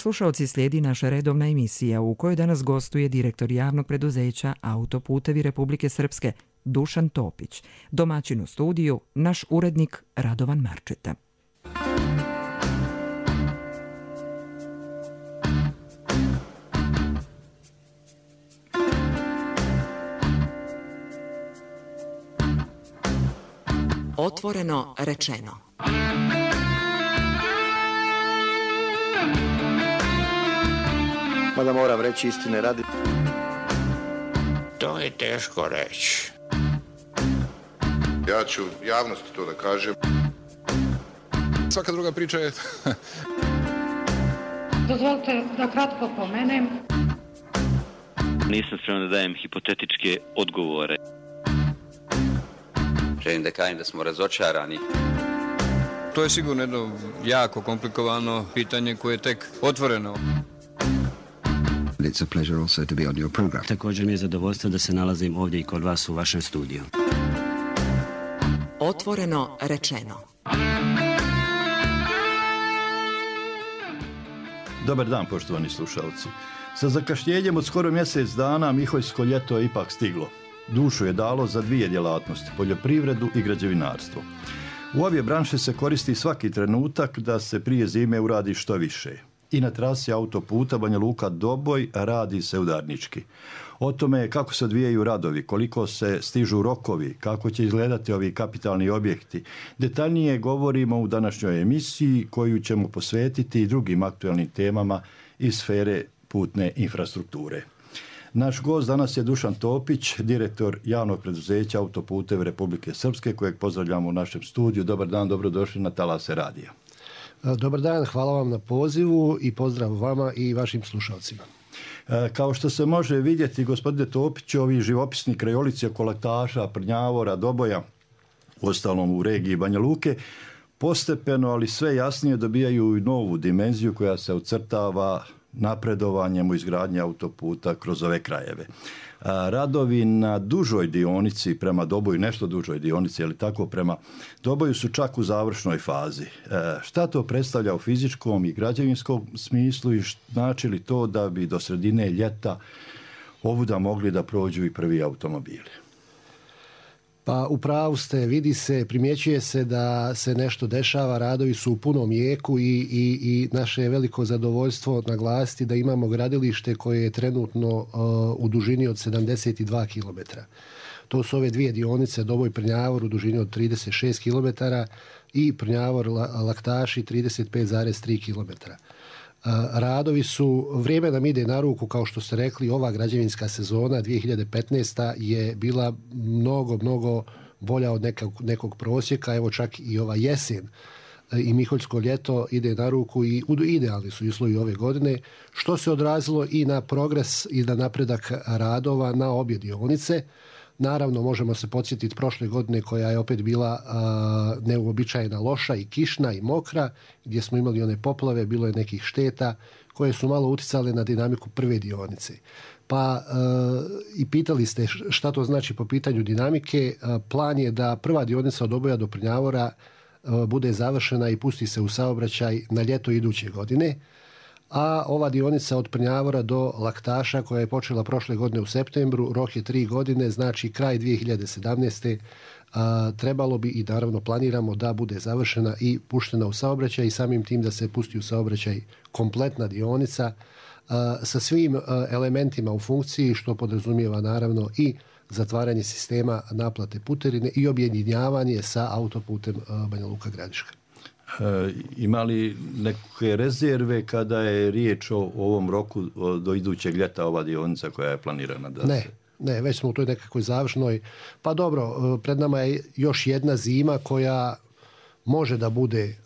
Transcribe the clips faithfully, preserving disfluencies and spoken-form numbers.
Slušalci, slijedi naša redovna emisija u kojoj danas gostuje direktor javnog preduzeća Autoputevi Republike Srpske Dušan Topić, domaćin u studiju naš urednik Radovan Marčeta. Otvoreno rečeno. Mada moram reći istine radi. To je teško reći. Ja ću javnosti to da kažem. Svaka druga priča je... Dozvolite da kratko pomenem. Nisam spreman da dajem hipotetičke odgovore. Želim da kažem da smo razočarani. To je sigurno jedno jako komplikovano pitanje koje je tek otvoreno. It's a pleasure also to be on your program. Također mi je zadovoljstvo da se nalazim ovdje i kod vas u vašem studiju. Otvoreno rečeno. Dobar dan, poštovani slušalci. Sa zakašnjenjem od skoro mjesec dana Miholjsko ljeto je ipak stiglo. Dušu je dalo za dvije djelatnosti, poljoprivredu i građevinarstvo. U obje branše se koristi svaki trenutak da se prije zime uradi što više. I na trasi autoputa Banja Luka-Doboj radi se udarnički. O tome kako se odvijaju radovi, koliko se stižu rokovi, kako će izgledati ovi kapitalni objekti. Detaljnije govorimo u današnjoj emisiji koju ćemo posvetiti i drugim aktualnim temama iz sfere putne infrastrukture. Naš gost danas je Dušan Topić, direktor javnog preduzeća Autoputevi Republike Srpske, kojeg pozdravljamo u našem studiju. Dobar dan, dobrodošli na Talase radija. Dobar dan, hvala vam na pozivu i pozdrav vama i vašim slušalcima. Kao što se može vidjeti, gospodine Topić, ovi živopisni krajolici oko Laktaša, Prnjavora, Doboja, uostalom u regiji Banja Luke, postepeno, ali sve jasnije dobijaju i novu dimenziju koja se ucrtava napredovanjem u izgradnji autoputa kroz ove krajeve. Radovi na dužoj dionici prema Doboju, nešto dužoj dionici, ali tako prema Doboju su čak u završnoj fazi. Šta to predstavlja u fizičkom i građevinskom smislu i znači li to da bi do sredine ljeta ovuda mogli da prođu i prvi automobili? Pa u pravu ste, vidi se, primjećuje se da se nešto dešava, radovi su u punom jeku i, i, i naše je veliko zadovoljstvo naglasiti da imamo gradilište koje je trenutno uh, u dužini od sedamdeset dva kilometra. To su ove dvije dionice, Doboj Prnjavor u dužini od trideset šest kilometara i Prnjavor Laktaši trideset pet zarez tri kilometra. Radovi su, vrijeme nam ide na ruku, kao što ste rekli, ova građevinska sezona dvije hiljade petnaesta je bila mnogo, mnogo bolja od nekog, nekog prosjeka, evo čak i ova jesen i Miholjsko ljeto ide na ruku i idealni su uslovi ove godine, što se odrazilo i na progres i na napredak radova na obje dionice. Naravno, možemo se podsjetiti prošle godine koja je opet bila a, neuobičajena loša i kišna i mokra, gdje smo imali one poplave, bilo je nekih šteta koje su malo uticale na dinamiku prve dionice. Pa a, i pitali ste šta to znači po pitanju dinamike. A, plan je da prva dionica od Doboja do Prnjavora a, bude završena i pusti se u saobraćaj na ljeto iduće godine. A ova dionica od Prnjavora do Laktaša koja je počela prošle godine u septembru, rok je tri godine, znači kraj dvije hiljade sedamnaeste. A, trebalo bi i naravno planiramo da bude završena i puštena u saobraćaj i samim tim da se pusti u saobraćaj kompletna dionica a, sa svim a, elementima u funkciji, što podrazumijeva naravno i zatvaranje sistema naplate putarine i objedinjavanje sa autoputem a, Banja Luka Gradiška. E, ima li neke rezerve kada je riječ o, o ovom roku o, do idućeg ljeta ova dionica koja je planirana da ne, se... Ne, već smo u toj nekakvoj završnoj. Pa dobro, pred nama je još jedna zima koja može da bude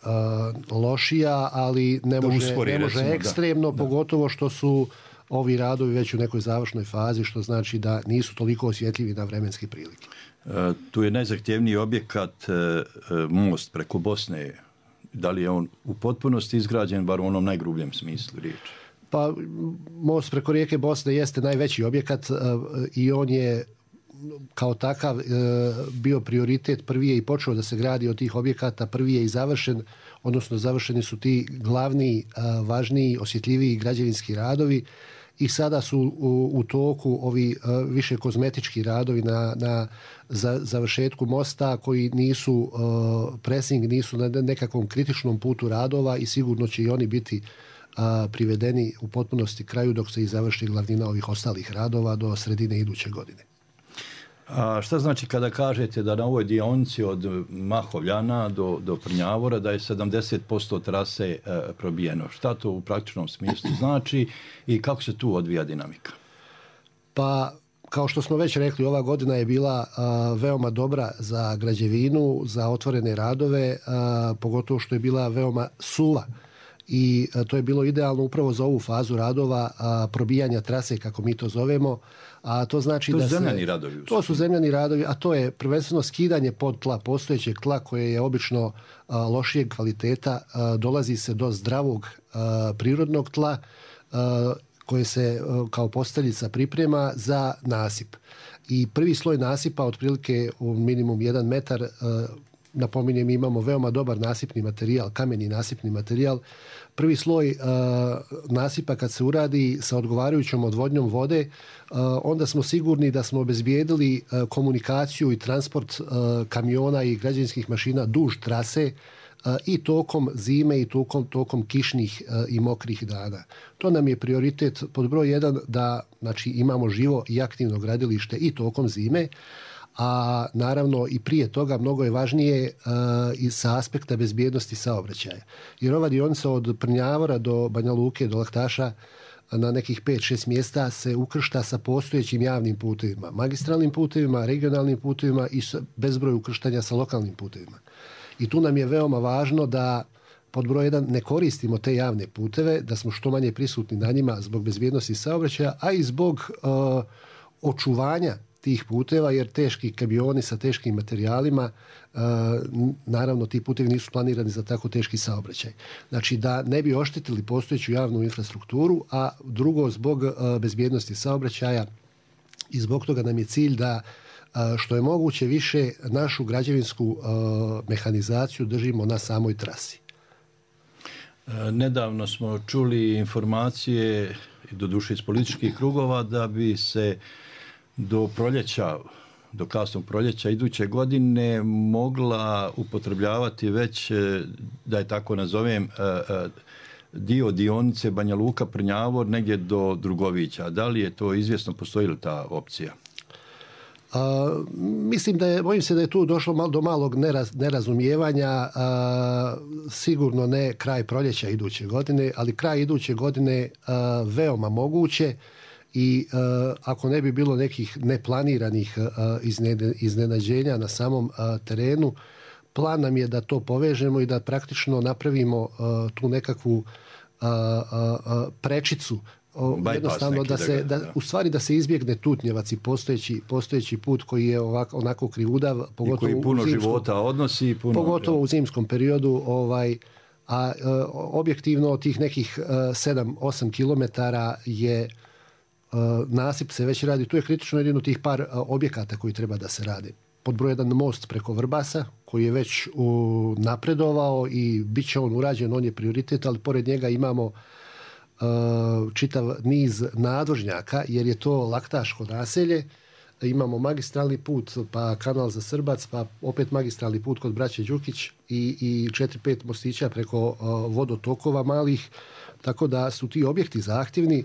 uh, lošija, ali ne da može, uspori, ne može recimo, ekstremno, da. Pogotovo što su ovi radovi već u nekoj završnoj fazi, što znači da nisu toliko osjetljivi na vremenske prilike. E, tu je najzahtjevniji objekat e, most preko Bosne. Da li je on u potpunosti izgrađen, bar u onom najgrubljem smislu riječi? Pa most preko rijeke Bosne jeste najveći objekat uh, i on je kao takav e, bio prioritet. Prvi je i počeo da se gradi od tih objekata, prvi je i završen, odnosno završeni su ti glavni, e, važniji, osjetljiviji građevinski radovi i sada su u, u toku ovi e, više kozmetički radovi na, na za, završetku mosta koji nisu e, pressing, nisu na nekakvom kritičnom putu radova i sigurno će i oni biti a, privedeni u potpunosti kraju dok se i završi glavnina ovih ostalih radova do sredine iduće godine. A šta znači kada kažete da na ovoj dionici od Mahovljana do, do Prnjavora da je sedamdeset posto trase e, probijeno? Šta to u praktičnom smislu znači i kako se tu odvija dinamika? Pa, kao što smo već rekli, ova godina je bila a, veoma dobra za građevinu, za otvorene radove, a, pogotovo što je bila veoma suva. I a, to je bilo idealno upravo za ovu fazu radova, a, probijanja trase, kako mi to zovemo. A to znači to da su zemljani se, radovi. To su zemljani radovi, a to je prvenstveno skidanje pod tla, postojećeg tla koje je obično a, lošijeg kvaliteta. A, dolazi se do zdravog a, prirodnog tla a, koje se a, kao posteljica priprema za nasip. I prvi sloj nasipa, otprilike u minimum jedan metar, a, napominjem, imamo veoma dobar nasipni materijal, kameni nasipni materijal. Prvi sloj uh, nasipa kad se uradi sa odgovarajućom odvodnjom vode, uh, onda smo sigurni da smo obezbijedili uh, komunikaciju i transport uh, kamiona i građevinskih mašina duž trase uh, i tokom zime i tokom, tokom kišnih uh, i mokrih dana. To nam je prioritet pod broj jedan, da znači, imamo živo i aktivno gradilište i tokom zime, a naravno i prije toga mnogo je važnije uh, i sa aspekta bezbjednosti saobraćaja. Jer ova dionica od Prnjavora do Banja Luke, do Laktaša, na nekih pet šest mjesta se ukršta sa postojećim javnim putevima, magistralnim putevima, regionalnim putevima i bezbroj ukrštanja sa lokalnim putevima. I tu nam je veoma važno da pod broj jedan ne koristimo te javne puteve, da smo što manje prisutni na njima zbog bezbjednosti saobraćaja, a i zbog uh, očuvanja tih puteva, jer teški kamioni sa teškim materijalima, uh, naravno ti putevi nisu planirani za tako teški saobraćaj. Znači da ne bi oštetili postojeću javnu infrastrukturu, a drugo zbog uh, bezbjednosti saobraćaja i zbog toga nam je cilj da uh, što je moguće više našu građevinsku uh, mehanizaciju držimo na samoj trasi. Nedavno smo čuli informacije, doduše iz političkih krugova, da bi se do proljeća, do kasnog proljeća iduće godine mogla upotrebljavati već, da je tako nazovem, dio dionice Banja Luka Prnjavor negdje do Drugovića. Da li je to izvjesno, postoji li ta opcija? A, mislim da je, bojim se da je tu došlo mal, do malog neraz, nerazumijevanja, a, sigurno ne kraj proljeća iduće godine, ali kraj iduće godine a, veoma moguće. I uh, ako ne bi bilo nekih neplaniranih uh, iznene, iznenađenja na samom uh, terenu, plan nam je da to povežemo i da praktično napravimo uh, tu nekakvu uh, uh, prečicu, uh, jednostavno da se, da, u stvari da se izbjegne Tutnjevac i postojeći, postojeći put koji je ovako, onako krivudav, pogotovo i koji puno u zimskom, života odnosi. Puno, pogotovo ja. u zimskom periodu, ovaj, a uh, objektivno tih nekih uh, sedam osam kilometara je Uh, nasip se već radi. Tu je kritično jedino tih par uh, objekata koji treba da se rade. Pod broj jedan most preko Vrbasa koji je već uh, napredovao i bit će on urađen, on je prioritet, ali pored njega imamo uh, čitav niz nadvožnjaka jer je to laktaško naselje. Imamo magistralni put, pa kanal za Srbac, pa opet magistralni put kod braće Đukić i, i četiri pet mostića preko uh, vodotokova malih, tako da su ti objekti zahtjevni,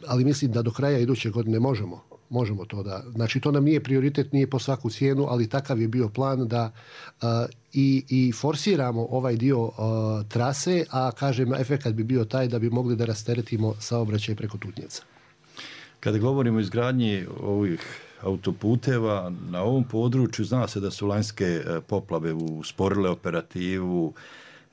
ali mislim da do kraja iduće godine možemo, možemo to da, znači to nam nije prioritet, nije po svaku cijenu, ali takav je bio plan da uh, i, i forsiramo ovaj dio uh, trase, a kažem, efekat bi bio taj da bi mogli da rasteretimo saobraćaj preko Tutnjevca. Kada govorimo o izgradnji ovih autoputeva na ovom području, zna se da su lanjske poplave usporile operativu.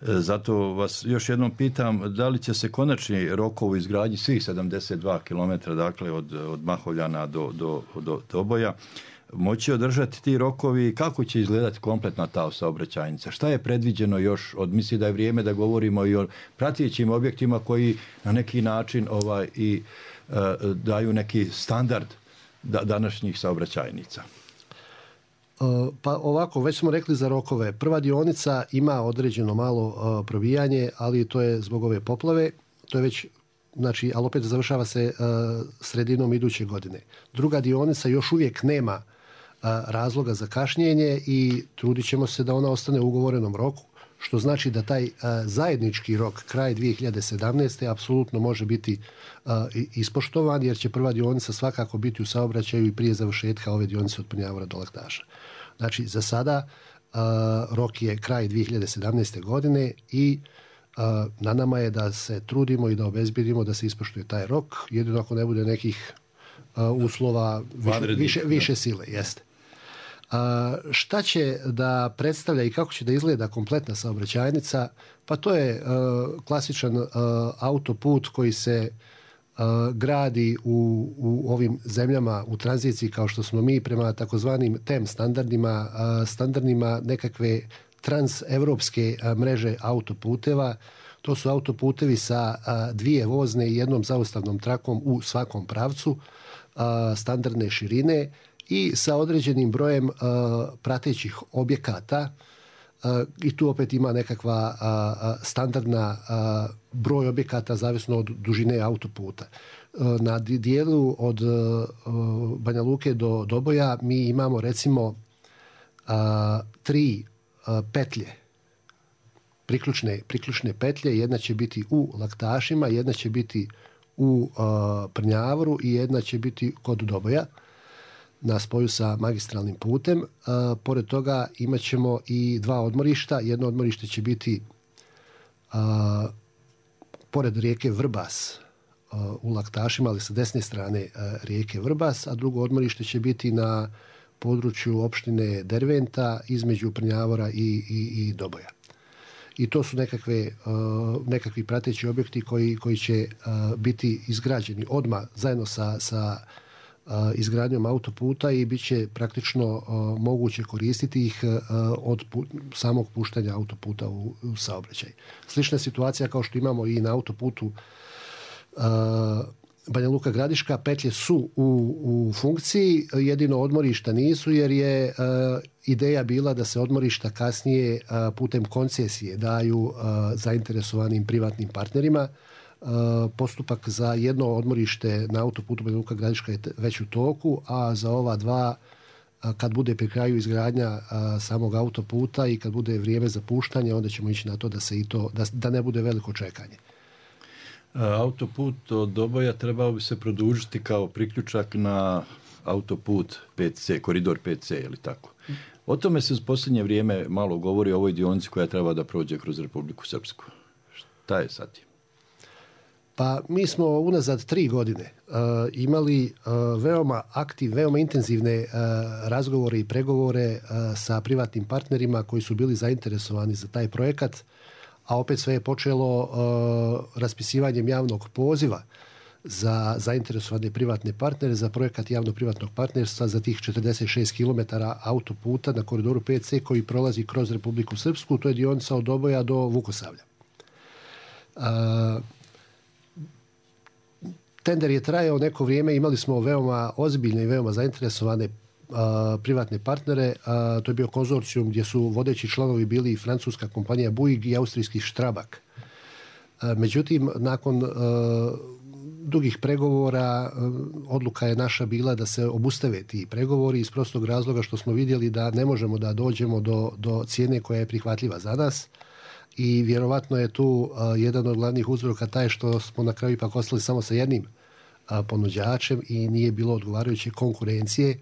Zato vas još jednom pitam, da li će se konačni rokovi izgradnji svih sedamdeset dva kilometra, dakle od, od Mahovljana do, do, do Doboja, moći održati ti rokovi? Kako će izgledati kompletna ta saobraćajnica? Šta je predviđeno još? Od, misli da je vrijeme da govorimo i o pratećim objektima koji na neki način ovaj, i uh, daju neki standard današnjih saobraćajnica? Pa ovako, već smo rekli za rokove. Prva dionica ima određeno malo probijanje, ali to je zbog ove poplave. To je već, znači, ali opet završava se sredinom iduće godine. Druga dionica još uvijek nema razloga za kašnjenje i trudit ćemo se da ona ostane u ugovorenom roku, što znači da taj zajednički rok kraj dvije hiljade sedamnaeste. apsolutno može biti ispoštovan, jer će prva dionica svakako biti u saobraćaju i prije završetka ove dionice od Prnjavora do Laktaša. Znači, za sada rok je kraj dvije hiljade sedamnaeste. godine i na nama je da se trudimo i da obezbjedimo da se ispoštuje taj rok, jedino ako ne bude nekih uslova više, više, više sile. Jeste. Šta će da predstavlja i kako će da izgleda kompletna saobraćajnica? Pa to je klasičan autoput koji se gradi u, u ovim zemljama u tranziciji kao što smo mi prema takozvanim T E M standardima, standardima nekakve transevropske mreže autoputeva. To su autoputevi sa dvije vozne i jednom zaustavnom trakom u svakom pravcu, standardne širine i sa određenim brojem pratećih objekata. I tu opet ima nekakva standardna broj objekata zavisno od dužine autoputa. Na dijelu od Banja Luke do Doboja mi imamo recimo tri petlje, priključne, priključne petlje. Jedna će biti u Laktašima, jedna će biti u Prnjavoru i jedna će biti kod Doboja na spoju sa magistralnim putem. Uh, pored toga imat ćemo i dva odmorišta. Jedno odmorište će biti uh, pored rijeke Vrbas uh, u Laktašima, ali sa desne strane uh, rijeke Vrbas, a drugo odmorište će biti na području opštine Derventa između Prnjavora i, i, i Doboja. I to su nekakve, uh, nekakvi prateći objekti koji, koji će uh, biti izgrađeni odmah zajedno sa, sa izgradnjom autoputa i bit će praktično uh, moguće koristiti ih uh, od pu- samog puštanja autoputa u, u saobraćaj. Slična situacija kao što imamo i na autoputu uh, Banja Luka Gradiška. Petlje su u, u funkciji, jedino odmorišta nisu, jer je uh, ideja bila da se odmorišta kasnije uh, putem koncesije daju uh, zainteresovanim privatnim partnerima. Postupak za jedno odmorište na autoputu Banja Luka Gradiška je već u toku, a za ova dva, kad bude pri kraju izgradnja samog autoputa i kad bude vrijeme za puštanje, onda ćemo ići na to da se i to, da, da ne bude veliko čekanje. Autoput od Doboja trebao bi se produžiti kao priključak na autoput pet ce, koridor pet ce, ili tako? O tome se u posljednje vrijeme malo govori o ovoj dionici koja treba da prođe kroz Republiku Srpsku. Šta je sad? Pa mi smo unazad tri godine uh, imali uh, veoma aktiv, veoma intenzivne uh, razgovore i pregovore uh, sa privatnim partnerima koji su bili zainteresovani za taj projekat, a opet sve je počelo uh, raspisivanjem javnog poziva za zainteresovane privatne partnere za projekat javno-privatnog partnerstva za tih četrdeset šest kilometara autoputa na koridoru pet ce koji prolazi kroz Republiku Srpsku. To je dionica od Doboja do Vukosavlja. Uh, Tender je trajao neko vrijeme, imali smo veoma ozbiljne i veoma zainteresovane a, privatne partnere. A, to je bio konzorcijum gdje su vodeći članovi bili francuska kompanija Bouygues i austrijski Strabag. A, međutim, nakon a, dugih pregovora a, odluka je naša bila da se obustave ti pregovori iz prostog razloga što smo vidjeli da ne možemo da dođemo do, do cijene koja je prihvatljiva za nas. I vjerovatno je tu uh, jedan od glavnih uzroka taj što smo na kraju ipak ostali samo sa jednim uh, ponuđačem i nije bilo odgovarajuće konkurencije.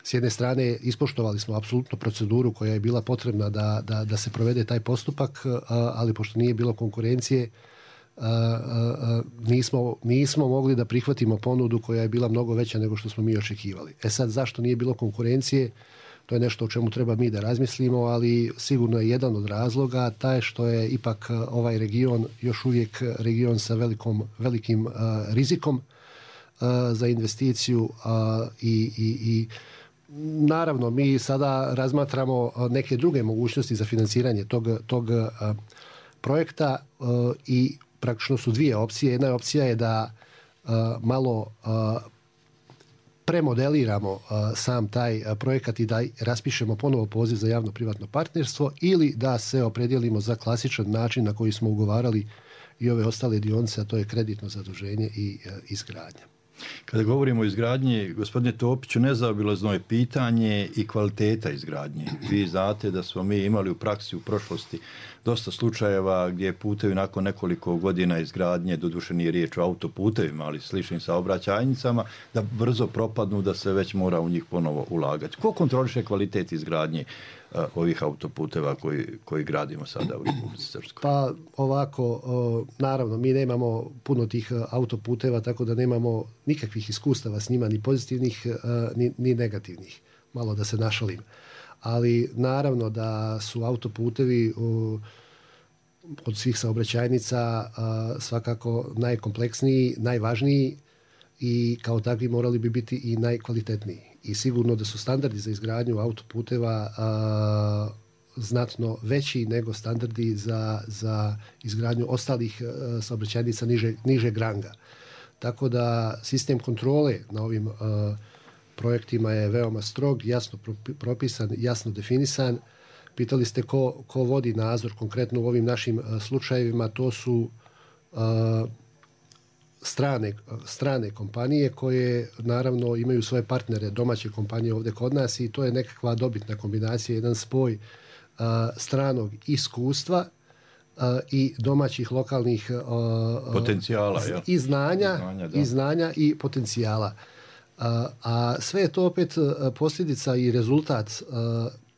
S jedne strane ispoštovali smo apsolutno proceduru koja je bila potrebna da, da, da se provede taj postupak, uh, ali pošto nije bilo konkurencije uh, uh, nismo, nismo mogli da prihvatimo ponudu koja je bila mnogo veća nego što smo mi očekivali. E sad, zašto nije bilo konkurencije? To je nešto o čemu treba mi da razmislimo, ali sigurno je jedan od razloga taj što je ipak ovaj region još uvijek region sa velikom, velikim uh, rizikom uh, za investiciju uh, i, i, i naravno mi sada razmatramo neke druge mogućnosti za financiranje tog, tog uh, projekta uh, i praktično su dvije opcije. Jedna opcija je da uh, malo uh, premodeliramo uh, sam taj uh, projekat i da raspišemo ponovo poziv za javno-privatno partnerstvo ili da se opredijelimo za klasičan način na koji smo ugovarali i ove ostale dionice, a to je kreditno zaduženje i uh, izgradnja. Kada govorimo o izgradnji, gospodine Topiću, nezaobilazno je pitanje i kvaliteta izgradnje. Vi znate da smo mi imali u praksi u prošlosti dosta slučajeva gdje putevi nakon nekoliko godina izgradnje, doduše nije riječ o autoputevima, ali sličnim saobraćajnicama, da brzo propadnu, da se već mora u njih ponovo ulagati. Ko kontroliše kvalitet izgradnje uh, ovih autoputeva koji, koji gradimo sada u Republici Srpskoj? Pa ovako, uh, naravno, mi nemamo puno tih uh, autoputeva, tako da nemamo nikakvih iskustava s njima, ni pozitivnih, uh, ni, ni negativnih. Malo da se našalim. Ali naravno da su autoputevi uh, od svih saobraćajnica uh, svakako najkompleksniji, najvažniji i kao takvi morali bi biti i najkvalitetniji. I sigurno da su standardi za izgradnju autoputeva uh, znatno veći nego standardi za, za izgradnju ostalih uh, saobraćajnica niže, nižeg ranga. Tako da sistem kontrole na ovim uh, projektima je veoma strog, jasno propisan, jasno definisan. Pitali ste ko, ko vodi nadzor konkretno u ovim našim uh, slučajevima, to su uh, strane, strane kompanije koje naravno imaju svoje partnere, domaće kompanije ovdje kod nas i to je nekakva dobitna kombinacija, jedan spoj uh, stranog iskustva uh, i domaćih lokalnih uh, potencijala z- ja. i znanja, i znanja, i znanja i potencijala. Uh, a sve je to opet uh, posljedica i rezultat uh,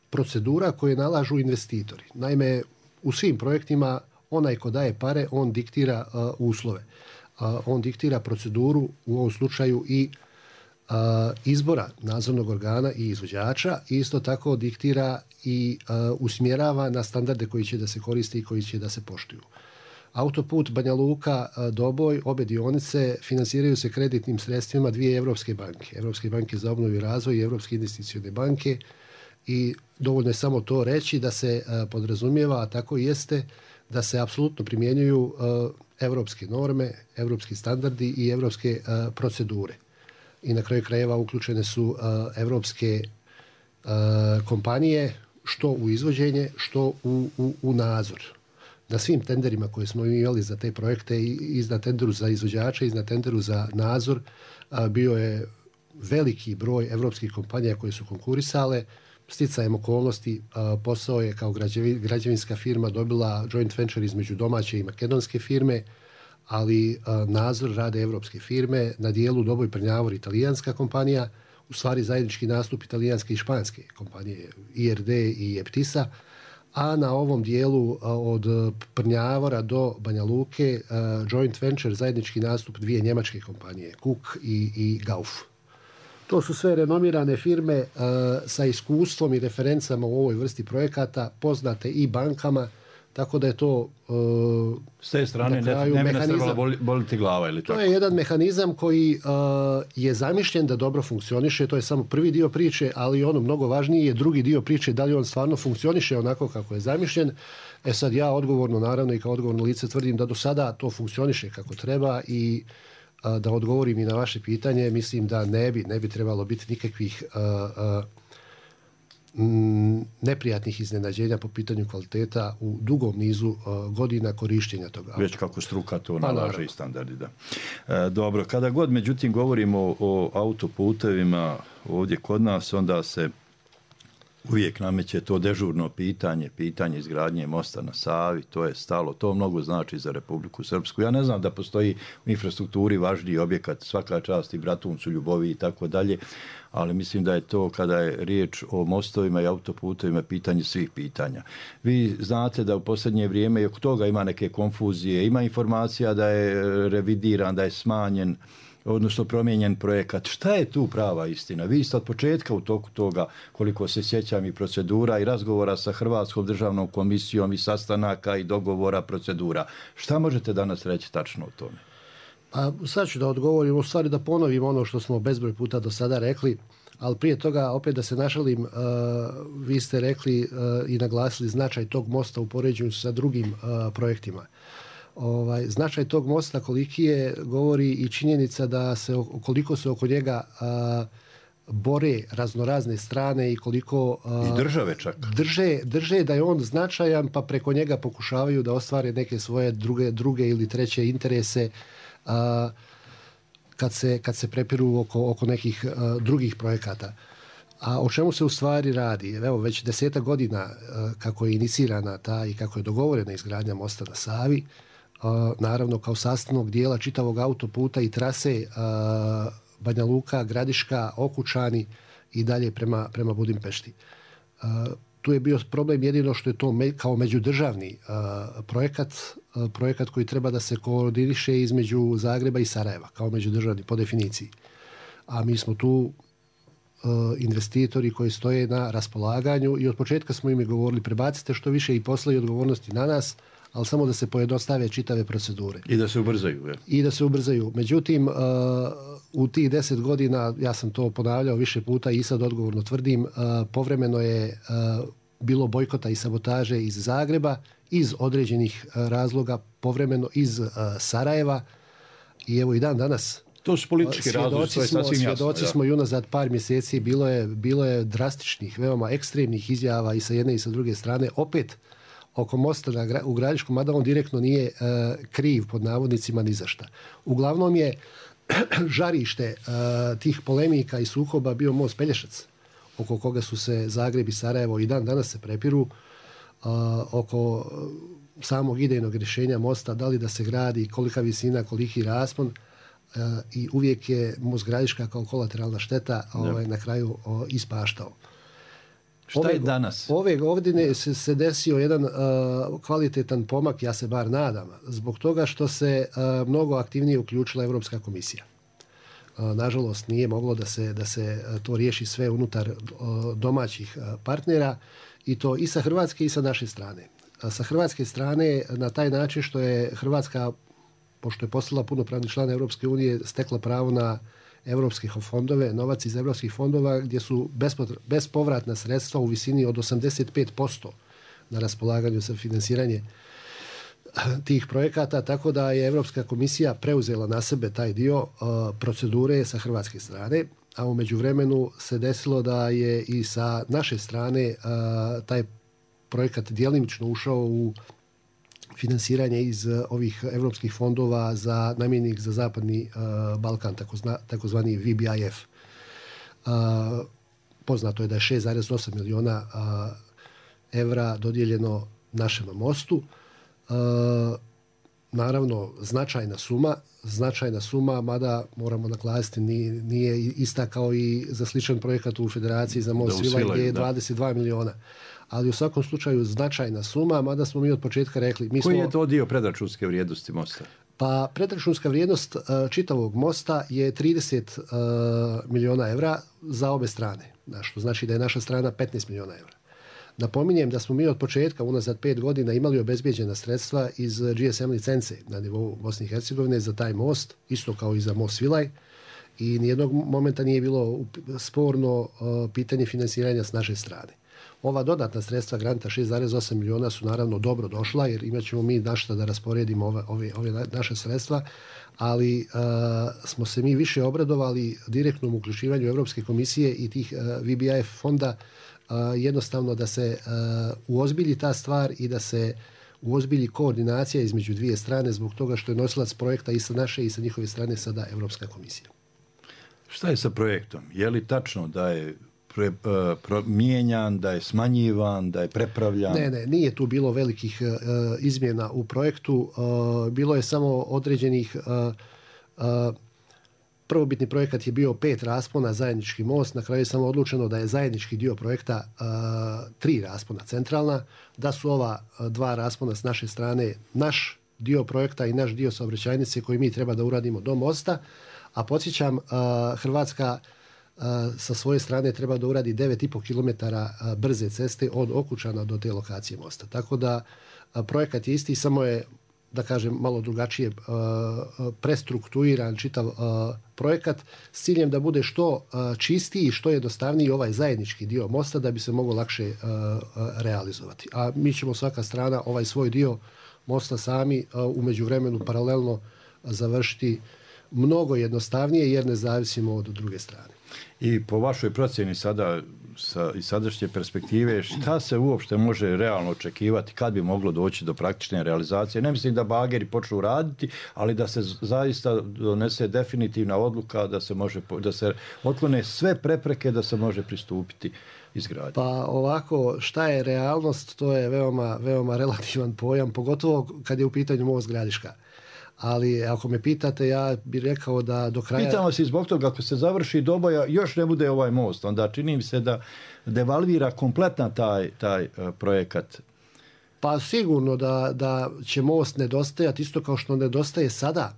procedura koje nalažu investitori. Naime, u svim projektima onaj ko daje pare, on diktira uh, uslove. Uh, on diktira proceduru, u ovom slučaju i uh, izbora nadzornog organa i izvođača. I isto tako diktira i uh, usmjerava na standarde koji će da se koriste i koji će da se poštuju. Autoput Banja Luka Doboj, obe dionice finansiraju se kreditnim sredstvima dvije Evropske banke. Evropske banke za obnovu i razvoj i Evropske investicione banke. I dovoljno je samo to reći da se uh, podrazumijeva, a tako i jeste, da se apsolutno primjenjuju uh, evropske norme, evropski standardi i evropske uh, procedure. I na kraju krajeva uključene su uh, evropske uh, kompanije što u izvođenje, što u, u, u nadzor. Na svim tenderima koje smo imali za te projekte, i na tenderu za izvođače, i na tenderu za nadzor, uh, bio je veliki broj evropskih kompanija koje su konkurisale. Sticajem okolnosti uh, posao je kao građevi, građevinska firma dobila joint venture između domaće i makedonske firme, ali uh, nadzor rade evropske firme, na dijelu Doboj Prnjavor italijanska kompanija, u stvari zajednički nastup italijanske i španske kompanije I R D i Eptisa, a na ovom dijelu uh, od Prnjavora do Banja Luke uh, joint venture zajednički nastup dvije njemačke kompanije, Cook i, i Gauf. To su sve renomirane firme uh, sa iskustvom i referencama u ovoj vrsti projekata, poznate i bankama, tako da je to uh, s te strane ne, ne bi nas trebalo boli, boliti glava ili tako. To je jedan mehanizam koji uh, je zamišljen da dobro funkcioniše, to je samo prvi dio priče, ali ono mnogo važniji je drugi dio priče, da li on stvarno funkcioniše onako kako je zamišljen. E sad ja odgovorno, naravno i kao odgovorno lice tvrdim da do sada to funkcioniše kako treba i da odgovorim i na vaše pitanje, mislim da ne bi, ne bi trebalo biti nikakvih uh, uh, neprijatnih iznenađenja po pitanju kvaliteta u dugom nizu uh, godina korištenja toga. Već kako struka to nalaže pa, i standardi, da. E, dobro, kada god međutim govorimo o, o autoputevima ovdje kod nas, onda se uvijek nameće to dežurno pitanje, pitanje izgradnje mosta na Savi, to je stalo, to mnogo znači za Republiku Srpsku. Ja ne znam da postoji u infrastrukturi važniji objekat, svaka čast i Bratuncu, Ljubovi i tako dalje, ali mislim da je to kada je riječ o mostovima i autoputovima pitanje svih pitanja. Vi znate da u posljednje vrijeme i oko toga ima neke konfuzije, ima informacija da je revidiran, da je smanjen, odnosno promijenjen projekat. Šta je tu prava istina? Vi ste od početka u toku toga, koliko se sjećam, i procedura i razgovora sa Hrvatskom državnom komisijom i sastanaka i dogovora procedura. Šta možete danas reći tačno o tome? Pa sad ću da odgovorim, u stvari da ponovim ono što smo bezbroj puta do sada rekli, ali prije toga opet da se našalim, uh, vi ste rekli uh, i naglasili značaj tog mosta u poređenju sa drugim uh, projektima. Ovaj, značaj tog mosta koliki je govori i činjenica da se koliko se oko njega a, bore raznorazne strane i koliko I države čak. Drže, drže da je on značajan, pa preko njega pokušavaju da ostvare neke svoje druge, druge ili treće interese a, kad, se, kad se prepiru oko, oko nekih a, drugih projekata. A o čemu se u stvari radi? Evo, već deseta godina a, kako je inicirana ta i kako je dogovorena izgradnja mosta na Savi, a, naravno kao sastavnog dijela čitavog autoputa i trase a, Banja Luka, Gradiška, Okučani i dalje prema, prema Budimpešti. Uh, tu je bio problem jedino što je to me, kao međudržavni uh, projekat, uh, projekat koji treba da se koordiniše između Zagreba i Sarajeva, kao međudržavni po definiciji. A mi smo tu uh, investitori koji stoje na raspolaganju i od početka smo im govorili prebacite što više i posla i odgovornosti na nas, ali samo da se pojednostave čitave procedure. I da se ubrzaju. Je. I da se ubrzaju. Međutim, uh, u tih deset godina, ja sam to ponavljao više puta i sad odgovorno tvrdim, uh, povremeno je uh, bilo bojkota i sabotaže iz Zagreba, iz određenih uh, razloga, povremeno iz uh, Sarajeva i evo i dan danas. To su politički razlozi, to je sasvim jasno. Svjedoci smo i unazad par mjeseci, bilo je, bilo je drastičnih, veoma ekstremnih izjava i sa jedne i sa druge strane, opet oko mosta na, u Gradiškom, mada on direktno nije uh, kriv pod navodnicima ni za šta. Uglavnom je žarište uh, tih polemika i sukoba bio most Pelješac, oko koga su se Zagreb i Sarajevo i dan danas se prepiru, uh, oko samog idejnog rješenja mosta, da li da se gradi, kolika visina, koliki raspon, uh, i uvijek je most Gradiška kao kolateralna šteta ovaj, na kraju uh, ispaštao. Šta ove, je danas? Ove godine se, se desio jedan uh, kvalitetan pomak, ja se bar nadam, zbog toga što se uh, mnogo aktivnije uključila Europska komisija. Uh, nažalost, nije moglo da se, da se uh, to riješi sve unutar uh, domaćih uh, partnera i to i sa Hrvatske i sa naše strane. Uh, sa Hrvatske strane na taj način što je Hrvatska, pošto je postala punopravni član Europske unije, stekla pravo na europske fondove, novac iz europskih fondova gdje su bespovratna sredstva u visini od osamdeset pet posto na raspolaganju za finansiranje tih projekata, tako da je Europska komisija preuzela na sebe taj dio uh, procedure sa hrvatske strane, a u međuvremenu se desilo da je i sa naše strane uh, taj projekat djelimično ušao u finansiranje iz ovih europskih fondova za namijenjenih za zapadni uh, Balkan, takozna, takozvani V B I F. Uh, poznato je da je šest zarez osam milijuna uh, evra dodijeljeno našem mostu. Uh, naravno, značajna suma, značajna suma, mada moramo naglasiti nije, nije ista kao i za sličan projekat u Federaciji za most Svilaj gdje je dvadeset dva milijuna. Ali u svakom slučaju značajna suma, mada smo mi od početka rekli... Mi Koji smo, je to dio predračunske vrijednosti mosta? Pa predračunska vrijednost uh, čitavog mosta je trideset uh, milijuna evra za obe strane, što znači da je naša strana petnaest milijuna evra. Napominjem da smo mi od početka, unazad pet godina, imali obezbijeđena sredstva iz G S M licence na nivou Bosne i Hercegovine za taj most, isto kao i za most Svilaj, i nijednog momenta nije bilo sporno uh, pitanje finansiranja s naše strane. Ova dodatna sredstva granta šest zarez osam milijuna su naravno dobro došla, jer imat ćemo mi našta da rasporedimo ove, ove, ove naše sredstva, ali uh, smo se mi više obradovali direktnom uključivanju Europske komisije i tih uh, V B I F fonda, uh, jednostavno da se uh, uozbilji ta stvar i da se uozbilji koordinacija između dvije strane, zbog toga što je nosilac projekta i sa naše i sa njihove strane sada Europska komisija. Šta je sa projektom? Je li tačno da je Pre, uh, pro, mijenjan, da je smanjivan, da je prepravljan? Ne, ne, nije tu bilo velikih uh, izmjena u projektu. Uh, bilo je samo određenih... Uh, uh, prvobitni projekat je bio pet raspona, zajednički most. Na kraju je samo odlučeno da je zajednički dio projekta uh, tri raspona centralna, da su ova uh, dva raspona s naše strane naš dio projekta i naš dio saobraćajnice koji mi treba da uradimo do mosta. A podsjećam, uh, Hrvatska sa svoje strane treba da uradi devet i po kilometara brze ceste od Okučana do te lokacije mosta. Tako da projekat je isti, samo je, da kažem, malo drugačije prestrukturiran čitav projekat s ciljem da bude što čistiji i što jednostavniji ovaj zajednički dio mosta da bi se moglo lakše realizovati. A mi ćemo svaka strana ovaj svoj dio mosta sami u međuvremenu paralelno završiti mnogo jednostavnije jer ne zavisimo od druge strane. I po vašoj procjeni sada sa, iz sadašnje perspektive, šta se uopšte može realno očekivati kad bi moglo doći do praktične realizacije? Ne mislim da bageri počnu raditi, ali da se zaista donese definitivna odluka da se može, da se otklone sve prepreke da se može pristupiti izgradnji. Pa ovako, šta je realnost, to je veoma, veoma relativan pojam, pogotovo kad je u pitanju most Gradiška. Ali ako me pitate, ja bih rekao da do kraja... Pitamo se zbog toga, ako se završi Doboja, još ne bude ovaj most, onda čini mi se da devalvira kompletna taj, taj uh, projekat. Pa sigurno da, da će most nedostajati, isto kao što nedostaje sada,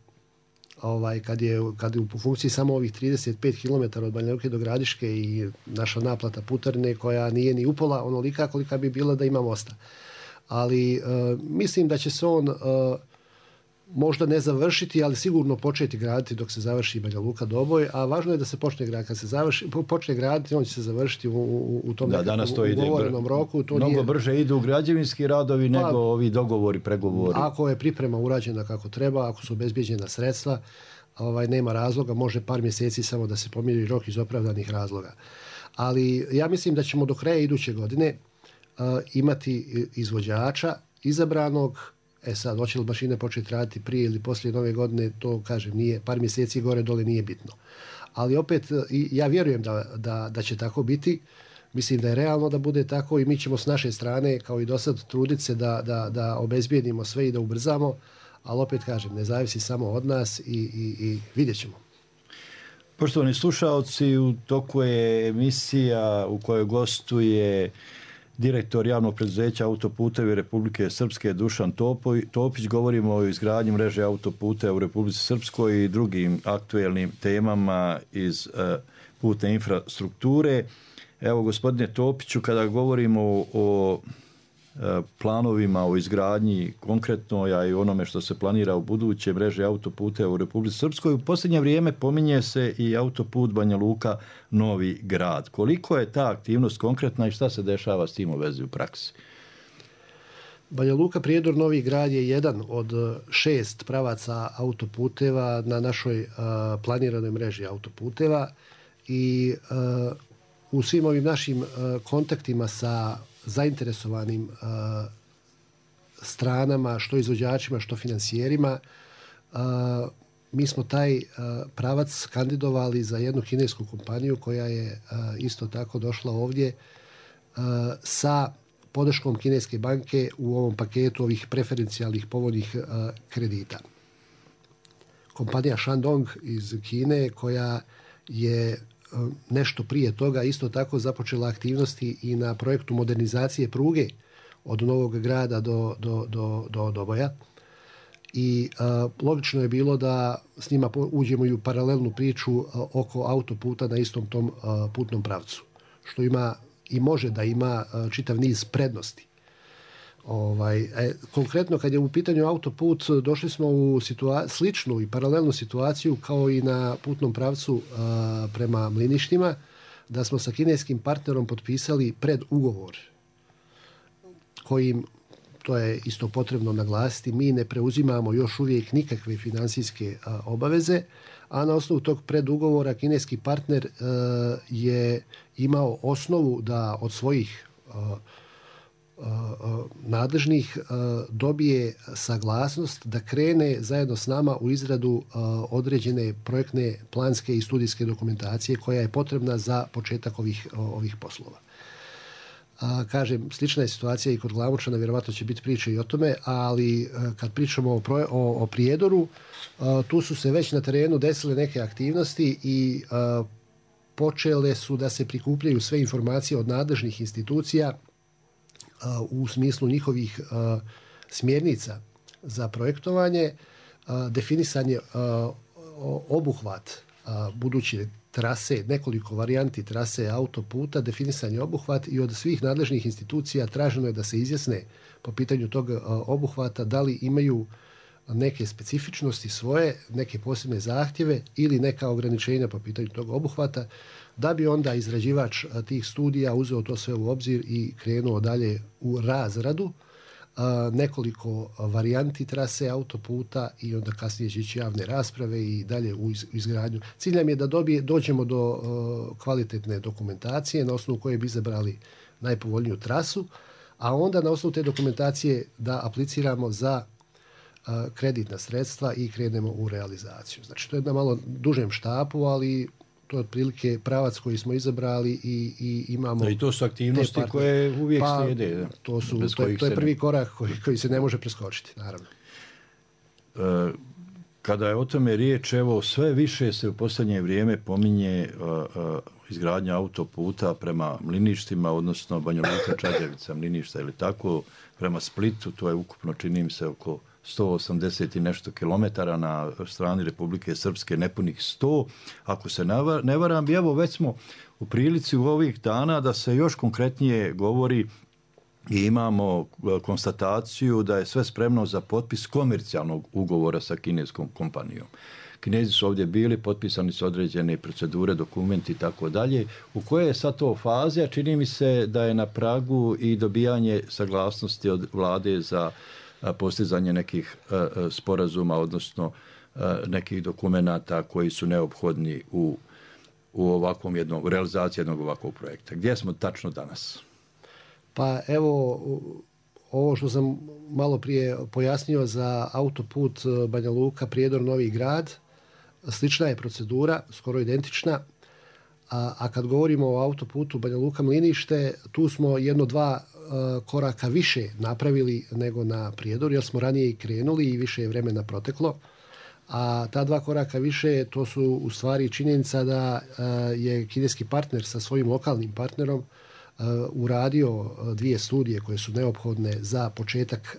ovaj, kad, je, kad je u funkciji samo ovih trideset pet kilometara od Banja Luke do Gradiške i naša naplata putarine koja nije ni upola onolika kolika bi bila da ima mosta. Ali uh, mislim da će se on... Uh, možda ne završiti, ali sigurno početi graditi dok se završi Banja Luka Doboj, a važno je da se počne graditi. Kad se završi, počne graditi, on će se završiti u, u, u tom da, danas to ide ugovorenom roku. To mnogo nije... brže idu građevinski radovi pa, nego ovi dogovori, pregovori. Ako je priprema urađena kako treba, ako su obezbijeđena sredstva, ovaj, nema razloga, može par mjeseci samo da se pomiri rok iz opravdanih razloga. Ali ja mislim da ćemo do kraja iduće godine uh, imati izvođača izabranog. E sad, hoće li mašine početi raditi prije ili poslije nove godine, to kažem, nije, par mjeseci gore dole nije bitno. Ali opet, ja vjerujem da, da, da će tako biti. Mislim da je realno da bude tako i mi ćemo s naše strane, kao i do sad, truditi se da, da, da obezbijedimo sve i da ubrzamo, ali opet kažem, ne zavisi samo od nas i, i, i vidjet ćemo. Poštovani slušaoci, u toku je emisija u kojoj gostuje direktor javnog preduzeća Autoputevi Republike Srpske Dušan Topić. Govorimo o izgradnji mreže autoputeva u Republici Srpskoj i drugim aktuelnim temama iz uh, putne infrastrukture. Evo, gospodine Topiću, kada govorimo o, o uh, planovima o izgradnji konkretno, a i onome što se planira u buduće mreže autoputeva u Republici Srpskoj, u posljednje vrijeme pominje se i autoput Banja Luka Novi Grad. Koliko je ta aktivnost konkretna i šta se dešava s tim u vezi u praksi? Banja Luka Prijedor Novi Grad je jedan od šest pravaca autoputeva na našoj uh, planiranoj mreži autoputeva i uh, u svim ovim našim uh, kontaktima sa zainteresovanim uh, stranama, što izvođačima, što financijerima, uh, mi smo taj uh, pravac kandidovali za jednu kinesku kompaniju koja je uh, isto tako došla ovdje uh, sa podrškom kineske banke u ovom paketu ovih preferencijalnih povoljnih uh, kredita. Kompanija Shandong iz Kine koja je uh, nešto prije toga isto tako započela aktivnosti i na projektu modernizacije pruge od Novog Grada do, do, do, do Doboja. I uh, logično je bilo da s njima uđemo i u paralelnu priču uh, oko autoputa na istom tom uh, putnom pravcu, što ima i može da ima uh, čitav niz prednosti. Ovaj, e, konkretno kad je u pitanju autoput, došli smo u situa- sličnu i paralelnu situaciju kao i na putnom pravcu uh, prema Mliništima, da smo sa kineskim partnerom potpisali predugovor kojim, to je isto potrebno naglasiti, mi ne preuzimamo još uvijek nikakve financijske a, obaveze, a na osnovu tog predugovora kineski partner a, je imao osnovu da od svojih a, a, a, nadležnih a, dobije saglasnost da krene zajedno s nama u izradu a, određene projektne, planske i studijske dokumentacije koja je potrebna za početak ovih, ovih poslova. A, kažem, slična je situacija i kod Glamočana, vjerovatno će biti priče i o tome, ali a, kad pričamo o, proje, o, o Prijedoru, a, tu su se već na terenu desile neke aktivnosti i a, počele su da se prikupljaju sve informacije od nadležnih institucija a, u smislu njihovih a, smjernica za projektovanje, a, definisan je a, obuhvat a, budući trase, nekoliko varijanti trase autoputa, definisan je obuhvat i od svih nadležnih institucija traženo je da se izjasne po pitanju tog obuhvata da li imaju neke specifičnosti svoje, neke posebne zahtjeve ili neka ograničenja po pitanju tog obuhvata, da bi onda izrađivač tih studija uzeo to sve u obzir i krenuo dalje u razradu. nekoliko varijanti trase autoputa i onda kasnije će ići javne rasprave i dalje u izgradnju. Cilj nam je da dobije, dođemo do kvalitetne dokumentacije na osnovu koje bi izabrali najpovoljniju trasu, a onda na osnovu te dokumentacije da apliciramo za kreditna sredstva i krenemo u realizaciju. Znači, to je na malo dužem štapu, ali to je otprilike pravac koji smo izabrali i, i imamo... Da, i to su aktivnosti koje uvijek pa, slijede. To, su, to, je, to je prvi korak koji, koji se ne može preskočiti, naravno. E, kada je o tome riječ, evo, sve više se u posljednje vrijeme pominje uh, uh, izgradnja autoputa prema Mliništima, odnosno Banja Luka, Čađavica, Mliništa ili tako, prema Splitu, to je ukupno, čini mi se, oko sto osamdeset i nešto kilometara na strani Republike Srpske, nepunih sto, ako se ne varam. I evo, već smo u prilici u ovih dana da se još konkretnije govori i imamo konstataciju da je sve spremno za potpis komercijalnog ugovora sa kineskom kompanijom. Kinezi su ovdje bili, potpisani su određene procedure, dokumenti i tako dalje. U koje je sad to faze, a čini mi se da je na pragu i dobijanje saglasnosti od vlade za postizanje nekih uh, sporazuma, odnosno uh, nekih dokumenata koji su neophodni u, u ovakvom jednom, realizaciji jednog ovakvog projekta. Gdje smo tačno danas? Pa evo, ovo što sam malo prije pojasnio za autoput Banja Luka, Prijedor, Novi Grad, slična je procedura, skoro identična, a, a kad govorimo o autoputu Banja Luka Mlinište, tu smo jedno dva koraka više napravili nego na Prijedoru, jer smo ranije i krenuli i više je vremena proteklo. A ta dva koraka više, to su u stvari činjenica da je kineski partner sa svojim lokalnim partnerom uradio dvije studije koje su neophodne za početak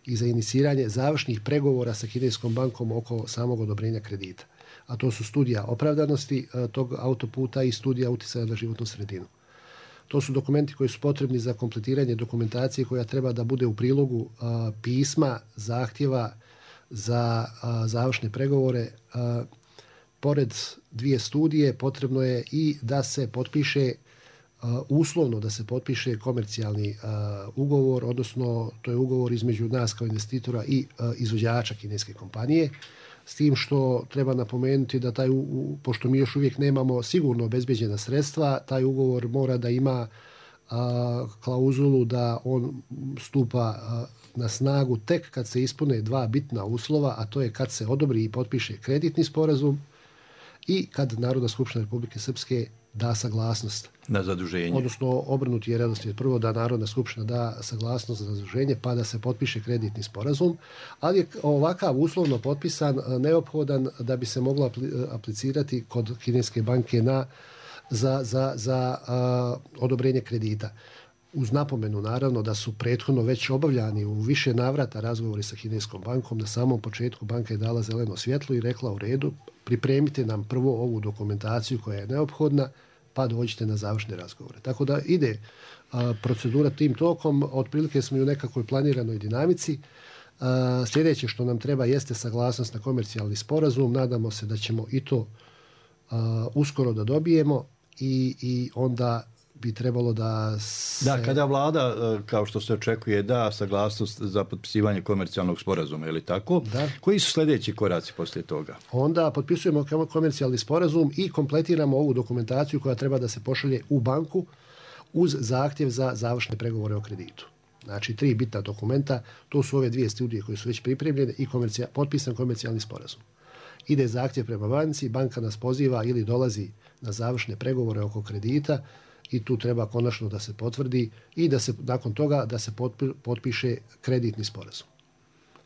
i za iniciranje završnih pregovora sa kineskom bankom oko samog odobrenja kredita. A to su studija opravdanosti tog autoputa i studija utjecaja na životnu sredinu. To su dokumenti koji su potrebni za kompletiranje dokumentacije koja treba da bude u prilogu a, pisma, zahtjeva za a, završne pregovore. A, pored dvije studije potrebno je i da se potpiše a, uslovno da se potpiše komercijalni a, ugovor, odnosno to je ugovor između nas kao investitora i a, izvođača kineske kompanije. S tim što treba napomenuti da taj, pošto mi još uvijek nemamo sigurno obezbeđena sredstva, taj ugovor mora da ima a, klauzulu da on stupa a, na snagu tek kad se ispune dva bitna uslova, a to je kad se odobri i potpiše kreditni sporazum i kad Narodna skupština Republike Srpske da saglasnost na zaduženje. Odnosno obrnuti je redoslijed. Prvo da Narodna skupština da saglasnost za zaduženje, pa da se potpiše kreditni sporazum, ali je ovakav uslovno potpisan neophodan da bi se moglo aplicirati kod kineske banke na, za, za, za a, odobrenje kredita. Uz napomenu naravno da su prethodno već obavljani u više navrata razgovori sa kineskom bankom. Na samom početku banka je dala zeleno svjetlo i rekla u redu, pripremite nam prvo ovu dokumentaciju koja je neophodna, pa dođite na završne razgovore. Tako da ide a, procedura tim tokom, otprilike smo i u nekakvoj planiranoj dinamici. A, sljedeće što nam treba jeste saglasnost na komercijalni sporazum. Nadamo se da ćemo i to a, uskoro da dobijemo i, i onda bi trebalo da se... Da, kada vlada, kao što se očekuje, da saglasnost za potpisivanje komercijalnog sporazuma, ili tako? Da. Koji su sljedeći koraci poslije toga? Onda potpisujemo komercijalni sporazum i kompletiramo ovu dokumentaciju koja treba da se pošalje u banku uz zahtjev za završne pregovore o kreditu. Znači, tri bitna dokumenta, to su ove dvije studije koje su već pripremljene i komercija, potpisan komercijalni sporazum. Ide zahtjev prema banci, banka nas poziva ili dolazi na završne pregovore oko kredita, i tu treba konačno da se potvrdi i da se nakon toga da se potpiše kreditni sporazum.